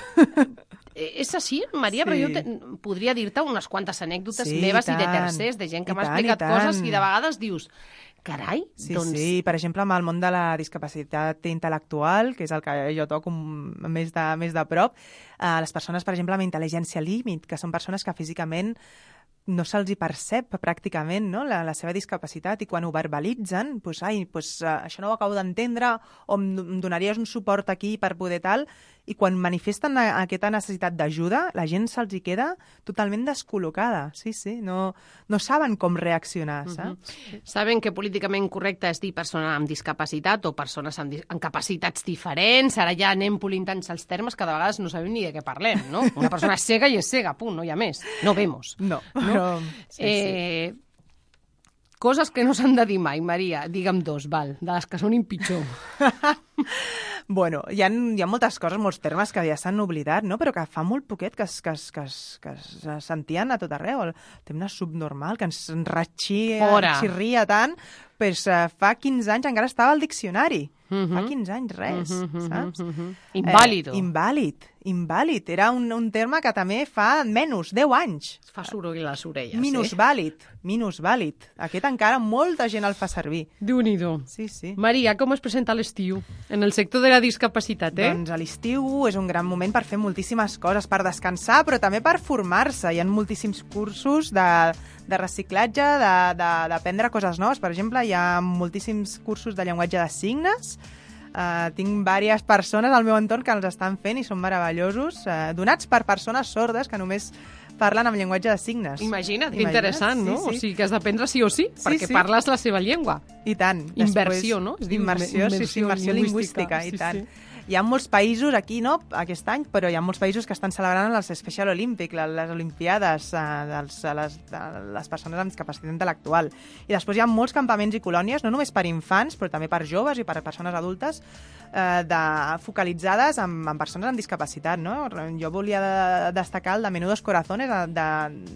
És així, Maria, sí. Però jo te, podria dir-te unes quantes anècdotes sí, meves i, i de tercers, de gent que I m'ha tant, explicat i coses i de vegades dius... Carai, sí, doncs... Sí, per exemple, amb el món de la discapacitat intel·lectual, que és el que jo toco més de, més de prop, eh, les persones, per exemple, amb intel·ligència límit, que són persones que físicament no se'ls hi percep pràcticament, no? la, la seva discapacitat, i quan ho verbalitzen, doncs, ai, doncs, uh, això no ho acabo d'entendre, o em, em donaries un suport aquí per poder tal, i quan manifesten a, aquesta necessitat d'ajuda, la gent se'ls hi queda totalment descol·locada. Sí, sí, no, no saben com reaccionar, saps? Uh-huh. Saben que políticament correcte és dir persona amb discapacitat o persones amb, amb capacitats diferents, ara ja anem polint tants els termes que de vegades no sabem ni de què parlem, no? Una persona és cega i és cega, punt, no hi ha més. No vemos. No, no? però... Sí, eh, sí. Coses que no s'han de dir mai, Maria. Digue'm dos, val, de les que són pitjor. Bueno, hi ha, hi ha moltes coses, molts termes que ja s'han oblidat, no? Però que fa molt poquet que es, que es, que es, que es sentien a tot arreu. El tema subnormal, que ens ratxia, xirria tant, pues, uh, fa quinze anys encara estava al diccionari. Uh-huh. Fa quinze anys, res, uh-huh, saps? Uh-huh. Invàlido. Eh, invàlid, invàlid. Era un, un terme que també fa menys, deu anys. Fa soroll a les orelles, minusvàlid, eh? Minusvàlid. Aquest encara molta gent el fa servir. Déu-n'hi-do. Sí, sí. Maria, com es presenta l'estiu en el sector de la discapacitat, eh? Doncs l'estiu és un gran moment per fer moltíssimes coses, per descansar, però també per formar-se. Hi ha moltíssims cursos de, de reciclatge, d'aprendre coses noves. Per exemple, hi ha moltíssims cursos de llenguatge de signes. Uh, tinc diverses persones al meu entorn que els estan fent i són meravellosos, uh, donats per persones sordes que només parlen amb llenguatge de signes. Imagina't, que interessant, no? Sí, sí. O sigui que has d'aprendre sí o sí, sí perquè sí. parles la seva llengua. I tant. Inversió, Després, no? Es diu immersió, immersió, sí, sí, immersió lingüística, lingüística i tant. Sí, sí. Hi ha molts països aquí, no?, aquest any, però hi ha molts països que estan celebrant els Special Olympics, les Olimpiades eh, dels, de les, de les persones amb discapacitat intel·lectual. I després hi ha molts campaments i colònies, no només per infants, però també per joves i per persones adultes, eh, de, focalitzades en, en persones amb discapacitat, no? Jo volia de, destacar el de Menudos Corazones, de, de,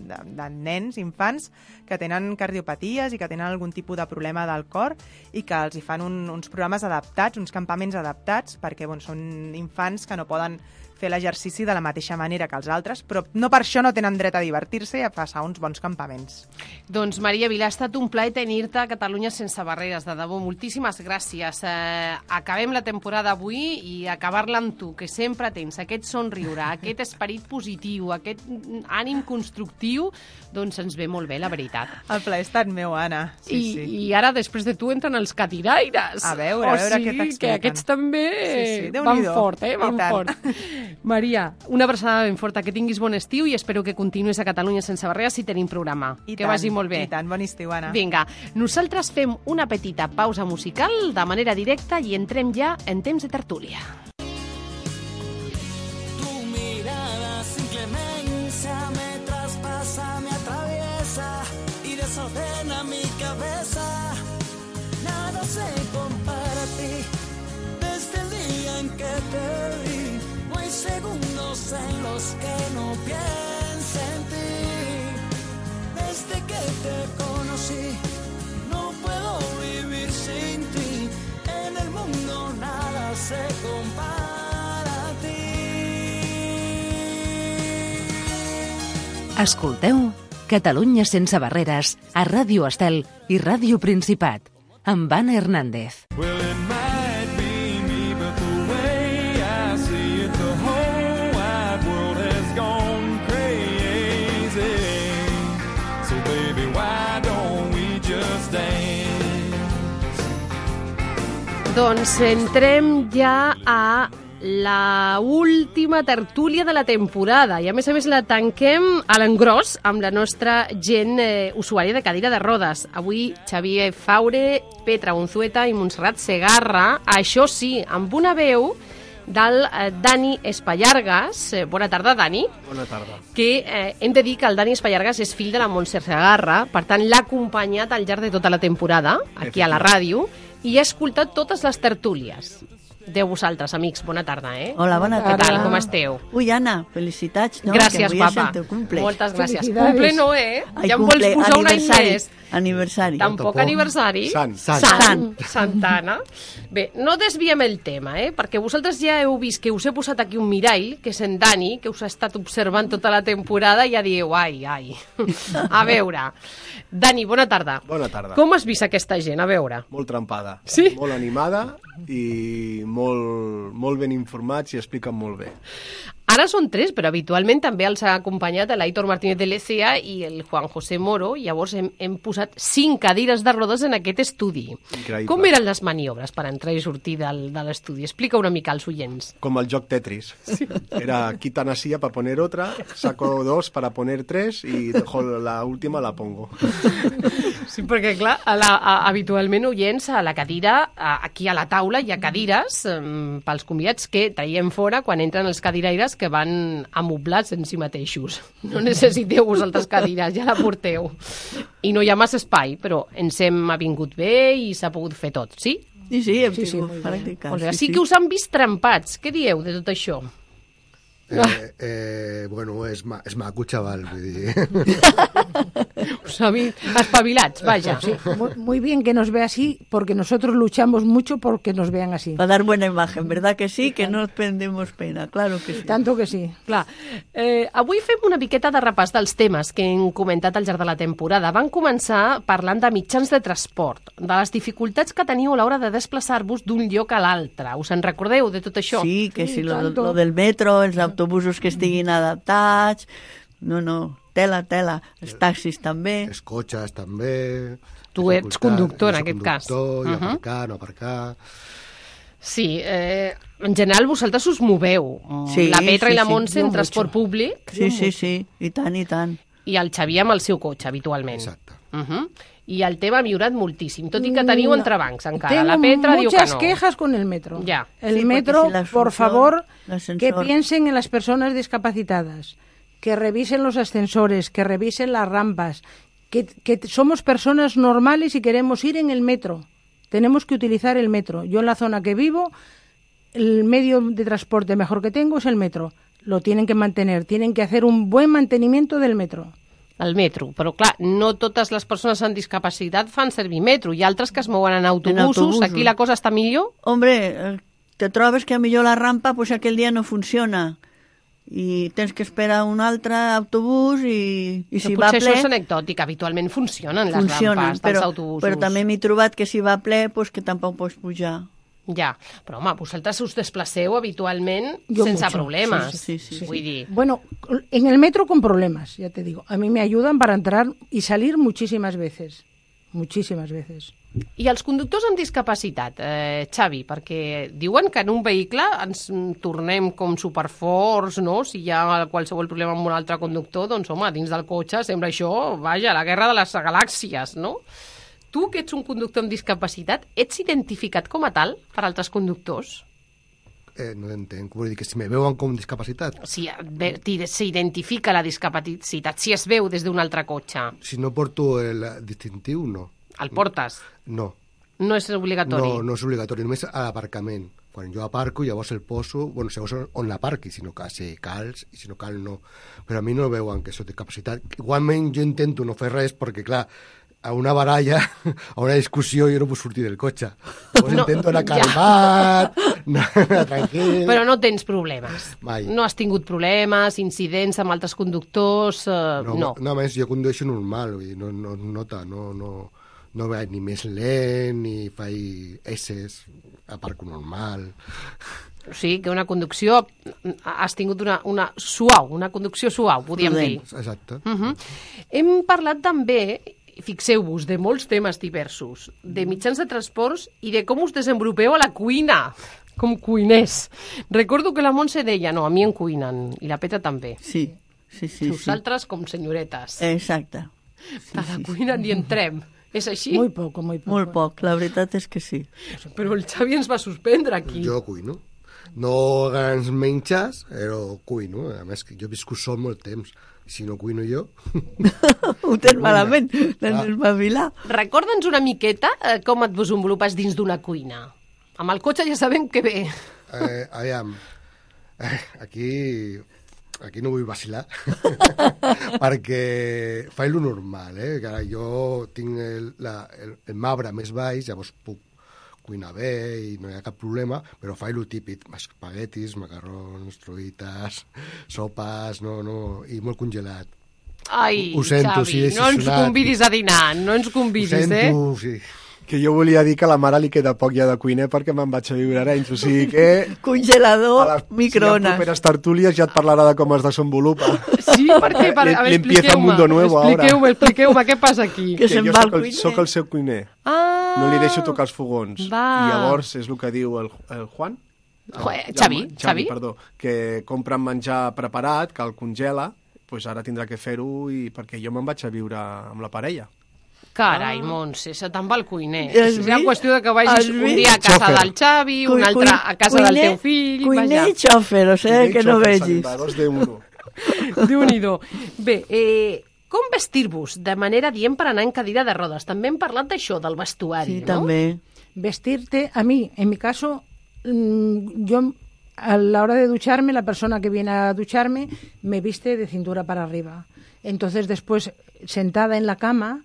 de, de nens, infants, que tenen cardiopaties i que tenen algun tipus de problema del cor i que els hi fan un, uns programes adaptats, uns campaments adaptats, perquè bon, són infants que no poden fer l'exercici de la mateixa manera que els altres, però no per això no tenen dret a divertir-se i a passar uns bons campaments. Doncs, Maria Vilà, ha estat un plaer tenir-te a Catalunya Sense Barreres, de debò. Moltíssimes gràcies. Eh, acabem la temporada avui i acabar-la amb tu, que sempre tens aquest somriure, aquest esperit positiu, aquest ànim constructiu, doncs ens ve molt bé, la veritat. El plaer ha estat meu, Anna. Sí, I, sí. I ara, després de tu, entren els catiraires. A veure, a veure o sigui, què t'expliquen. que aquests també sí, sí. van fort, eh? Van fort. Maria, una abraçada ben forta, que tinguis bon estiu i espero que continuïs a Catalunya Sense Barreres si tenim programa. I que tant, vagi molt bé. I tant, bon estiu, Anna. Vinga, nosaltres fem una petita pausa musical de manera directa i entrem ja en temps de tertúlia. Tu mirada sin clemencia me traspasa, me atraviesa y desordena mi cabeza. Nada se compara a ti desde el día en que te vi. No hay segundos en los que no piense en ti. Desde que te conocí no puedo vivir sin ti. En el mundo nada se compara a ti. Escolteu Catalunya Sense Barreres a Ràdio Estel i Ràdio Principat amb Anna Hernández. Well, it might be me, but the way I see it, the whole wide world has gone crazy. So baby, why don't we just dance? Doncs entrem ja a la última tertúlia de la temporada i a més a més la tanquem a l'engròs amb la nostra gent eh, usuària de cadira de rodes. Avui Xavier Faure, Petra Unzueta i Montserrat Segarra, això sí, amb una veu del eh, Dani Espallargas. Eh, bona tarda, Dani. Bona tarda. Que eh, hem de dir que el Dani Espallargas és fill de la Montserrat Segarra, per tant l'ha acompanyat al llarg de tota la temporada, aquí a la ràdio, i ha escoltat totes les tertúlies. De vosaltres, amics, bona tarda, eh? Hola, bona tarda. Què tal, com esteu? Ui, Anna, felicitats, no? Gràcies, que avui papa. és el teu cumple. Moltes gràcies. Cumple no, eh? Ai, ja em cumple, vols posar un any aniversari, més. Aniversari. Tampoc aniversari. Sant. Sant. Sant. Santana. Bé, no desviem el tema, eh? Perquè vosaltres ja heu vist que us he posat aquí un mirall, que és en Dani, que us ha estat observant tota la temporada i ja dieu, ai, ai. A veure, Dani, bona tarda. Bona tarda. Com has vist aquesta gent? A veure. Molt trempada. Sí? Molt animada i molt, molt ben informats i expliquen molt bé. Ara són tres, però habitualment també els ha acompanyat l'Aitor Martínez de Lecea i el Juan José Moro. Llavors hem, hem posat cinc cadires de rodes en aquest estudi. Increïble. Com eren les maniobres per entrar i sortir del, de l'estudi? Explica una mica als oients. Como el joc Tetris. Sí. Era quita una silla para poner otra, saco dos para poner tres y dejo la última, la pongo. Sí, perquè clar, a la, a, habitualment oients a la cadira, a, aquí a la taula hi ha cadires um, pels convidats que traiem fora quan entren els cadiraires que van amoblats en si mateixos. No necessiteu vosaltres cadires, ja la porteu. I no hi ha massa espai, però ens hem avingut bé i s'ha pogut fer tot, sí? Sí, sí, hem Sí, sí, tingut molt bé. pràctica. O sigui, sí, sí que us han vist trempats. Què dieu de tot això? Eh, eh, bueno, és, ma és maco, xaval, vull dir. Us ha vist espavilats, vaja. Sí, muy, muy bien que nos vea así, porque nosotros luchamos mucho porque nos vean así. Para dar buena imagen, ¿verdad que sí? Que no prendemos pena, claro que sí. Tanto que sí. Clar, eh, avui fem una miqueta de repàs dels temes que hem comentat al llarg de la temporada. Van començar parlant de mitjans de transport, de les dificultats que teniu a l'hora de desplaçar-vos d'un lloc a l'altre. Us en recordeu de tot això? Sí, que Sí, si lo, tanto. lo del metro, els autobusos que estiguin adaptats, no, no, tela, tela, els taxis també. Els cotxes, també. Tu ets conductor, en aquest cas. Conductor, i Uh-huh. aparcar, no aparcar. Sí, eh, en general vosaltres us moveu. Sí, la Petra sí, i la sí. Montse Jo en transport mucho. públic Sí, sí, sí, i tant, i tant. i el Xavier amb el seu cotxe, habitualment. Exacte. Uh -huh. I el tema ha millorat moltíssim, tot i que teniu No. entrebancs encara. Tengo La Petra diu que muchas no. quejas con el metro. Ya. El Sí, porque metro, si la por ascensor- favor, el ascensor- que piensen en las personas discapacitadas, que revisen los ascensores, que revisen las rampas, que, que somos personas normales y queremos ir en el metro. Tenemos que utilizar el metro. Yo en la zona que vivo, el medio de transporte mejor que tengo es el metro. Lo tienen que mantener, tienen que hacer un buen mantenimiento del metro. El metro, però clar, no totes les persones amb discapacitat fan servir metro. Hi ha altres que es mouen en autobusos. autobusos. Aquí la cosa està millor? Hombre, eh, te trobes que a millor la rampa pues aquell dia no funciona i tens que esperar un altre autobús i, i si Però va potser ple... això és anecdòtic, habitualment funcionen les funcionen, rampes però, dels autobusos. però també m'he trobat que si va ple pues que tampoc pots pujar. Ja, però home, vosaltres us desplaceu habitualment Jo sense mucho. problemes. Sí, sí, sí, Vull dir, Bueno, en el metro con problemas, ya te digo. A mí me ayudan para entrar y salir muchísimas veces. Muchísimas veces. i els conductors amb discapacitat, eh, Xavi, perquè diuen que en un vehicle ens mm, tornem com superforts, no? Si hi ha qualsevol problema amb un altre conductor, doncs home, dins del cotxe sembla això, vaja, la guerra de les galàxies, no? Tu, que ets un conductor amb discapacitat, ets identificat com a tal per altres conductors? Eh, no entenc. Vull dir que si me veuen com discapacitat, Si ve- ti- s'identifica la discapacitat, si es veu des d'un altre cotxe, si no porto el distintiu, no. el portes? No. No és obligatori? No, no és obligatori, només a l'aparcament. Quan jo aparco, llavors el poso, bueno, segons on l'aparqui, si no cal, si cal, i si no cal, no. Però a mi no veuen que soc discapacitat. Igualment jo intento no fer res, perquè, clar, a una baralla, a una discussió, jo no puc sortir del cotxe. Llavors No, intento anar ja. calmat, anar tranquil... Però no tens problemes? Mai. No has tingut problemes, incidents amb altres conductors? Eh, No, no. no, a més, jo condueixo normal, vull dir, no, no es nota, no, no, no vaig ni més lent, ni faig esses, aparco normal. O sigui, que una conducció... Has tingut una, una suau, una conducció suau, podríem dir. Exacte. Uh -huh. Hem parlat també, fixeu-vos, de molts temes diversos, de mitjans de transports i de com us desenvolupeu a la cuina. Com cuiners. Recordo que la Montse deia, no, a mi em cuinen, i la Peta també. Sí, sí, sí. Nosaltres com senyoretes. Exacte. A la cuina ni entrem. És així? Muy poco, muy poco. Molt poc, la veritat és que sí. Però el Xavi ens va suspendre aquí. Jo cuino. No grans menges, però cuino. A més, que jo he viscut sol molt temps. Si no cuino jo... Ho tens malament, l'has d'espavilar. Recorda'ns una miqueta eh, com et desenvolupes dins d'una cuina. Amb el cotxe ja sabem que bé. Eh, aviam, eh, aquí... Aquí no vull vacilar, perquè faig lo normal, eh? Que ara jo tinc el, la, el, el marbre més baix, llavors puc cuinar bé i no hi ha cap problema, però faig lo típic, espaguetis, macarrons, truites, sopes, no, no, i molt congelat. Ai, ho sento, Xavi, sí, no ens convidis a dinar, no ens convidis, ho sento, eh? Sí. Que jo volia dir que a la mare li queda poc ja de cuiner perquè me'n vaig a viure a Arenys, o sigui que... Congelador, a les, microones. Si hi ha properes tertúlies ja et parlarà de com es desenvolupa. Sí, perquè... Per, a veure, L'empieza un mundo nuevo ahora. Expliqueu-me, expliqueu-me, què passa aquí? Que, que se'n jo va el soc el, cuiner. soc el seu cuiner. Ah! No li deixo tocar els fogons. Va. I llavors és el que diu el, el Juan? Jo, ja, Xavi, Xavi, Xavi. perdó, que compra menjar preparat, que el congela, doncs ara tindrà que fer-ho i perquè jo me'n vaig a viure amb la parella. Carai, Montse, se te'n va el cuiner. Has És una vist? qüestió de que vagis Has un vist? dia a casa Xofer. del Xavi, un altre a casa Cuiner- del teu fill... Cuiner vaja. i xòfer, o sigui, que no vegis. Dos de uno. Déu-n'hi-do. Bé, eh, com vestir-vos de manera dient per anar en cadira de rodes? També hem parlat d'això, del vestuari, Sí, no? també. Vestirte, a mí, en mi caso, mm, yo a la hora de ducharme, la persona que viene a ducharme me viste de cintura para arriba. Entonces después, sentada en la cama,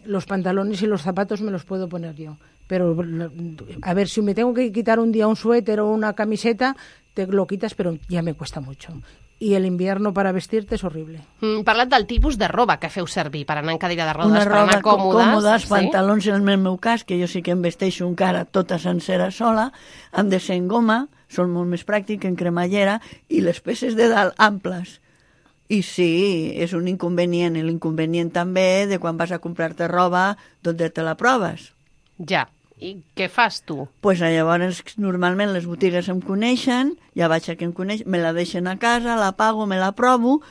los pantalones y los zapatos me los puedo poner yo. Pero, a ver, si me tengo que quitar un día un suéter o una camiseta, te lo quitas, pero ya me cuesta mucho. Y el invierno para vestirte es horrible. Mm, parlat del tipus de roba que feu servir per anar en cadira de rodes, Una per roba anar còmodes. còmodes, sí? pantalons en el meu cas, que jo sí que em vesteixo encara tota sencera sola, han de ser en goma, són molt més pràctic en cremallera, i les peces de dalt amples. I sí, és un inconvenient, i l'inconvenient també de quan vas a comprar-te roba, d'on te la proves. Ja. I què fas tu? Pues llavors, normalment les botigues em coneixen, ja vaig a que em coneix, me la deixen a casa, la pago, me la provo,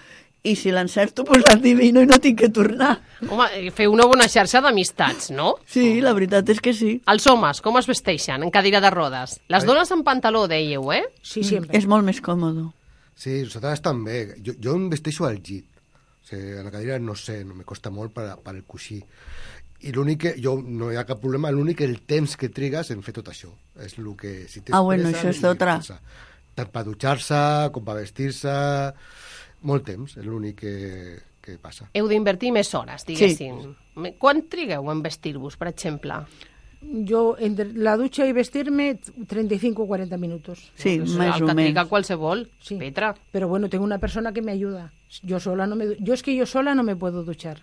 i si l'encerto, pues l'adivino i no tinc que tornar. Home, eh, feu una bona xarxa d'amistats, no? Sí, la veritat és que sí. Els homes, com es vesteixen en cadira de rodes? Les dones en pantaló, dèieu, eh? Sí, siempre. És molt més còmode. Sí, nosaltres també. Jo, jo em vesteixo al llit. O sigui, a la cadira no sé, no me costa molt per, per el coixí. I l'únic que, jo no hi ha cap problema, l'únic el temps que trigues en fer tot això. És el que... Si tens Ah, bueno, pressa, això és no d'altra. pressa. Tant per dutxar-se, com per vestir-se... Molt temps, és l'únic que, que passa. Heu d'invertir més hores, diguéssim. Sí. Quan trigueu en vestir-vos, per exemple? Yo, entre la ducha y vestirme, treinta y cinco o cuarenta minutos. Sí, Pues més el o que triga menys. qualsevol, Sí. Petra. Pero bueno, tengo una persona que me ayuda. Yo sola no me... du- Yo es que yo sola no me puedo duchar.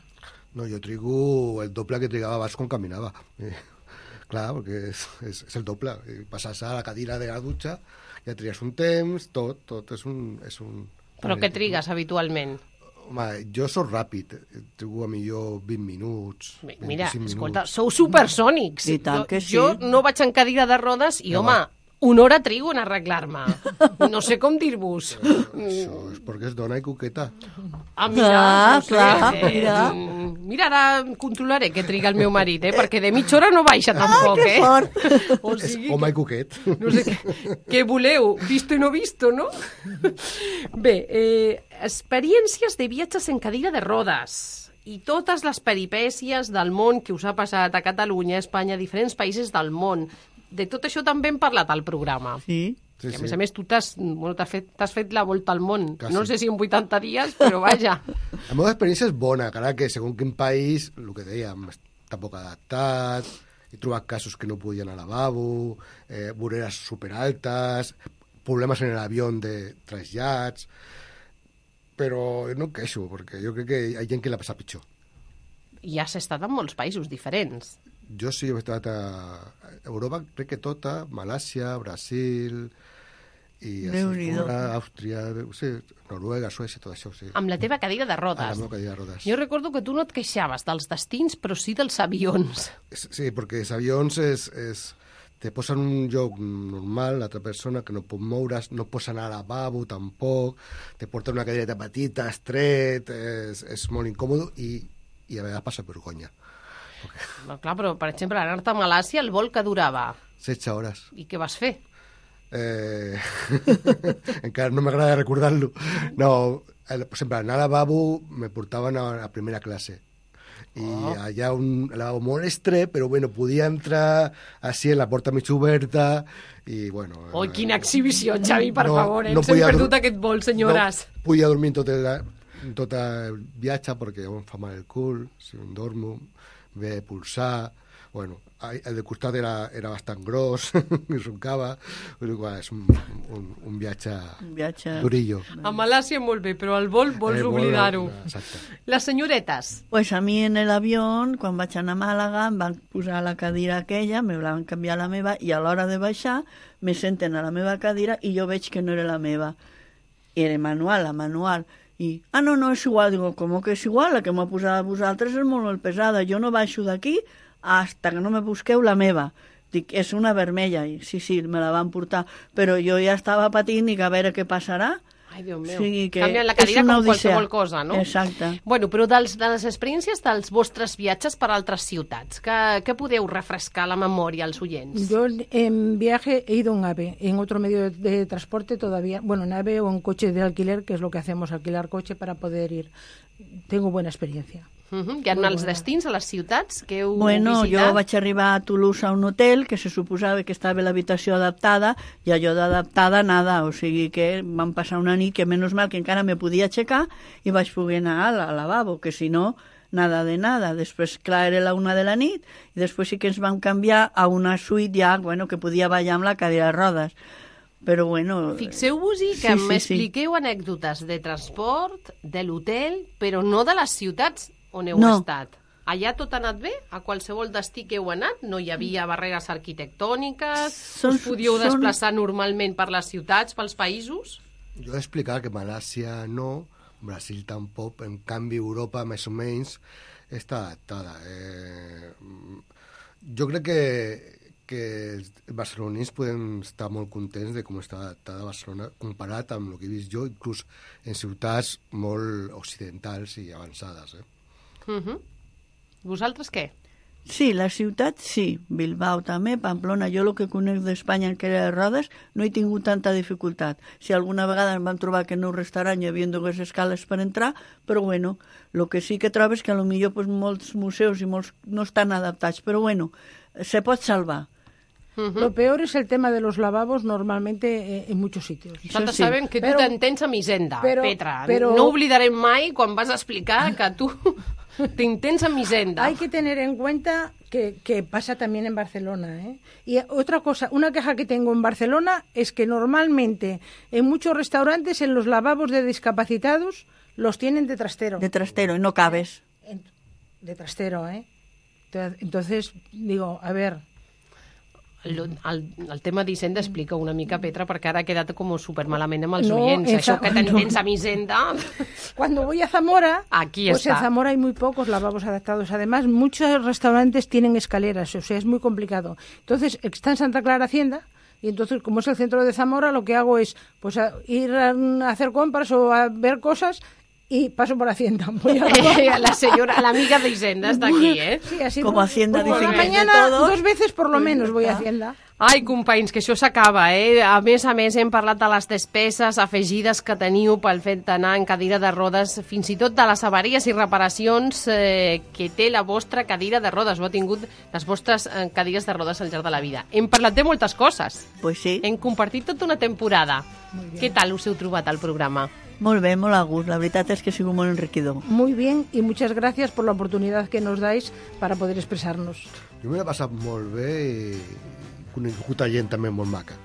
No, jo trigo el doble que trigava abans quan caminava. Eh, clar, perquè és, és, és el doble. Eh, Passar-se a la cadira de la dutxa, ja trigues un temps, tot, tot és un... És un Però què trigues habitualment? Home, jo sóc ràpid, trigo a millor vint minuts. Bé, Mira, vint-i-cinc escolta, minuts. sou supersònics. I tant jo, que sí. jo no vaig en cadira de rodes i, Ja home, va. una hora trigo en arreglar-me. No sé com dir-vos. Això és perquè és dona i coqueta. Ah, mira, Ah, no sé, clar, eh, mira. mm, mira, ara controlaré què triga el meu marit, eh? Perquè de mitja hora no baixa tampoc, que eh? fort. O És sigui, home i coquet. no sé què, què voleu, visto i no visto, no? Bé, eh, experiències de viatges en cadira de rodes i totes les peripècies del món que us ha passat a Catalunya, a Espanya, a diferents països del món. De tot això també hem parlat al programa. Sí. Sí, I a sí. més a més, tu t'has bueno, t'has fet, t'has fet la volta al món. Quasi. No sé si en vuitanta dies, però vaja. La meva experiència és bona, encara que segons quin país, el que dèiem, està poc adaptat, he trobat casos que no podien anar al lavabo, eh, voreres superaltes, problemes en l'avió de trasllats, però no em queixo, perquè jo crec que hi ha gent que l'ha passat pitjor. I has estat en molts països diferents. Jo sí he estat a Europa, crec que tota, Malàcia, Brasil, i a Déu-n'hi-do. Singapur, Àustria, sí, Noruega, Suècia, tot això, sí. Amb la teva cadira de A la rodes. meva cadira de rodes. Jo recordo que tu no et queixaves dels destins, però sí dels avions. Sí, perquè els avions és, és, te posen en un lloc normal, l'altra persona, que no pot moure's, no pots anar al lavabo tampoc, te porten una cadireta petita, estret, és, és molt incòmode i, i a vegades passa vergonya. Okay. No, clar, però, per exemple, anar-te a Malàcia, el vol que durava? setze hores. I què vas fer? Eh... Encara no m'agrada recordar-lo. No, el, per exemple, anar al lavabo me portaven a, a primera classe. I oh. allà un lavabo molt estret, però bueno, podia entrar així en la porta mig oberta i bueno... Oh, quina exhibició, Xavi, per no, favor, eh? no Ens hem perdut aquest vol, senyores. No podia dormir tot el, tot el viatge perquè em fa mal el cul, si em dormo, ve pulsar... Bueno, el de costat era, era bastant gros, i roncava, però és un, un, un viatge, un viatge durillo. A Malàcia molt bé, però el vol vols el oblidar-ho. Exacte. Les senyoretes. Pues a mi en l'avió, quan vaig anar a Màlaga, em van posar la cadira aquella, me van canviar la meva, i a l'hora de baixar me senten a la meva cadira i jo veig que no era la meva. Era manual, la manual. I, ah, no, no, és igual. Digo, com que és igual? La que m'ha posat a vosaltres és molt, molt pesada. Jo no baixo d'aquí hasta que no me busqueu la meva. Dic, és una vermella. I, sí, sí, me la van portar. Però jo ja estava patint i a veure què passarà. Ai, Déu meu. O sigui que canvien la cadira com odissea. Qualsevol cosa, no? Exacte. Bueno, però dels, de les experiències dels vostres viatges per altres ciutats, que, que podeu refrescar la memòria als oients? Yo en viaje he ido en AVE, en otro medio de, de transporte todavía, bueno, en AVE o en coche de alquiler, que es lo que hacemos, alquilar coche para poder ir. Tengo buena experiencia. Uh -huh. Hi ha Molt els bona. destins a les ciutats que heu Bueno, visitat? jo vaig arribar a Toulouse a un hotel que se suposava que estava l'habitació adaptada i allò d'adaptada nada, o sigui que vam passar una nit que menys mal que encara me podia aixecar i vaig poder anar al, al lavabo, que si no, nada de nada. Després, clar, era la una de la nit i després sí que ens vam canviar a una suite ja, bueno, que podia ballar amb la cadira de rodes. Però bueno... Fixeu-vos-hi que sí, sí, m'expliqueu sí. anècdotes de transport, de l'hotel, però no de les ciutats on heu no. estat. Allà tot ha anat bé? A qualsevol destí que heu anat? No hi havia barreres arquitectòniques? Són, us podíeu són... desplaçar normalment per les ciutats, pels països? Jo he explicat que Malàcia no, Brasil tampoc, en canvi Europa més o menys està adaptada. Eh, jo crec que que els barcelonins podem estar molt contents de com està adaptada Barcelona comparat amb el que he vist jo, inclús en ciutats molt occidentals i avançades. Eh? Uh -huh. Vosaltres què? Sí, la ciutat sí, Bilbao també, Pamplona, jo el que conec d'Espanya en cadira de rodes no he tingut tanta dificultat. Si alguna vegada em van trobar que en un restaurant hi havia dues escales per entrar, però bueno, el que sí que trobes que potser pues, molts museus i molts no estan adaptats, però bueno, se pot salvar. Uh-huh. Lo peor es el tema de los lavabos normalmente eh, en muchos sitios. Nosaltres sí. sabem que tu t'entens amb Hisenda, però, Petra. Però... No oblidarem mai quan vas explicar que tu t'intens amb Hisenda. Hay que tener en cuenta que, que pasa también en Barcelona, ¿eh? Y otra cosa, una queja que tengo en Barcelona es que normalmente en muchos restaurantes en los lavabos de discapacitados los tienen de trastero. De trastero, y no cabes. De trastero, ¿eh? Entonces, digo, a ver... El, el, el tema d'Hisenda explica una mica, Petra, perquè ara ha quedat com supermalament amb els no, oients. esa, Això que t'entens amb Hisenda... Cuando voy a Zamora, Aquí pues está. en Zamora hay muy pocos lavabos adaptados. Además, muchos restaurantes tienen escaleras, o sea, es muy complicado. Entonces, está en Santa Clara Hacienda, y entonces, como es el centro de Zamora, lo que hago es pues a ir a hacer compras o a ver cosas... y paso por Hacienda. Voy a... la señora, la amiga de Hisenda está aquí, ¿eh? Sí, así como Hacienda por dice la que mañana, de todos. dos veces por lo menos voy a Hacienda. Ai, companys, que això s'acaba, eh? A més a més, hem parlat de les despeses afegides que teniu pel fet d'anar en cadira de rodes, fins i tot de les avaries i reparacions eh, que té la vostra cadira de rodes, o ha tingut les vostres eh, cadires de rodes al llarg de la vida. Hem parlat de moltes coses. Pues sí. Hem compartit tota una temporada. Què tal us heu trobat al programa? Molt bé, molt a gust. La veritat és que ha sigut molt enriquidor. Muy bien, y muchas gracias por la oportunidad que nos dais para poder expresarnos. Jo me l'he passat molt bé i conegut gent també molt maca.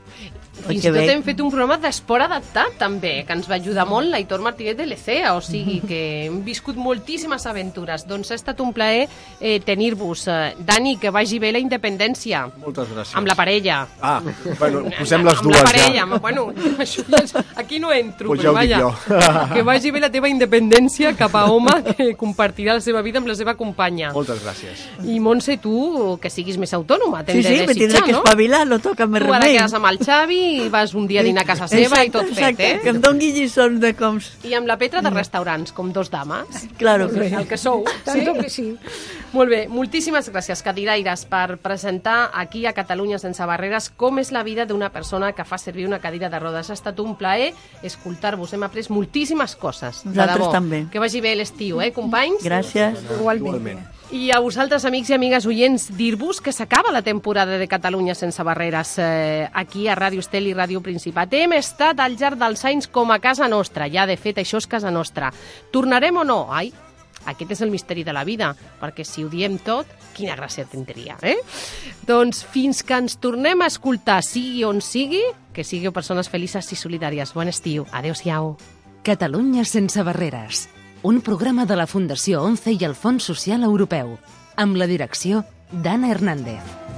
Fins i tot hem fet un programa d'esport adaptat, també, que ens va ajudar molt l'Aitor Martínez de l'Ecea, o sigui que hem viscut moltíssimes aventures. Doncs ha estat un plaer eh, tenir-vos. Eh, Dani, que vagi bé la independència. Moltes gràcies. Amb la parella. Ah, bueno, posem les amb dues la parella, ja. Amb, bueno, això ja és, aquí no entro, Pues però ja ho dic vaja. jo. Que vagi bé la teva independència cap a home que compartirà la seva vida amb la seva companya. Moltes gràcies. I Montse, tu, que siguis més autònoma, t'hem Sí, sí, de me desitjar, tindré que no? espavilar, no toca més Tu ara remei. quedes amb el Xavi i vas un dia a dinar a casa seva i tot fet, exacte, eh? que em doni lliçons de com... I amb la Petra de restaurants, com dos dames. Claro que sí. El que sou. Tanto que sí. Molt bé, moltíssimes gràcies, cadiraires, per presentar aquí a Catalunya Sense Barreres com és la vida d'una persona que fa servir una cadira de rodes. Ha estat un plaer escoltar-vos. Hem après moltíssimes coses. De Nosaltres debò. també. Que vagi bé l'estiu, eh, companys? Gràcies. Igualment. I a vosaltres, amics i amigues oients, dir-vos que s'acaba la temporada de Catalunya Sense Barreres eh, aquí a Ràdio Estel i Ràdio Principat. Hem estat al llarg dels anys com a casa nostra. Ja, de fet, això és casa nostra. Tornarem o no? Ai, aquest és el misteri de la vida, perquè si ho diem tot, quina gràcia tindria, eh? Doncs fins que ens tornem a escoltar, sigui on sigui, que sigueu persones felices i solidàries. Bon estiu. Adéu-siau. Catalunya Sense Barreres, un programa de la Fundació ONCE i el Fons Social Europeu, amb la direcció d'Anna Hernández.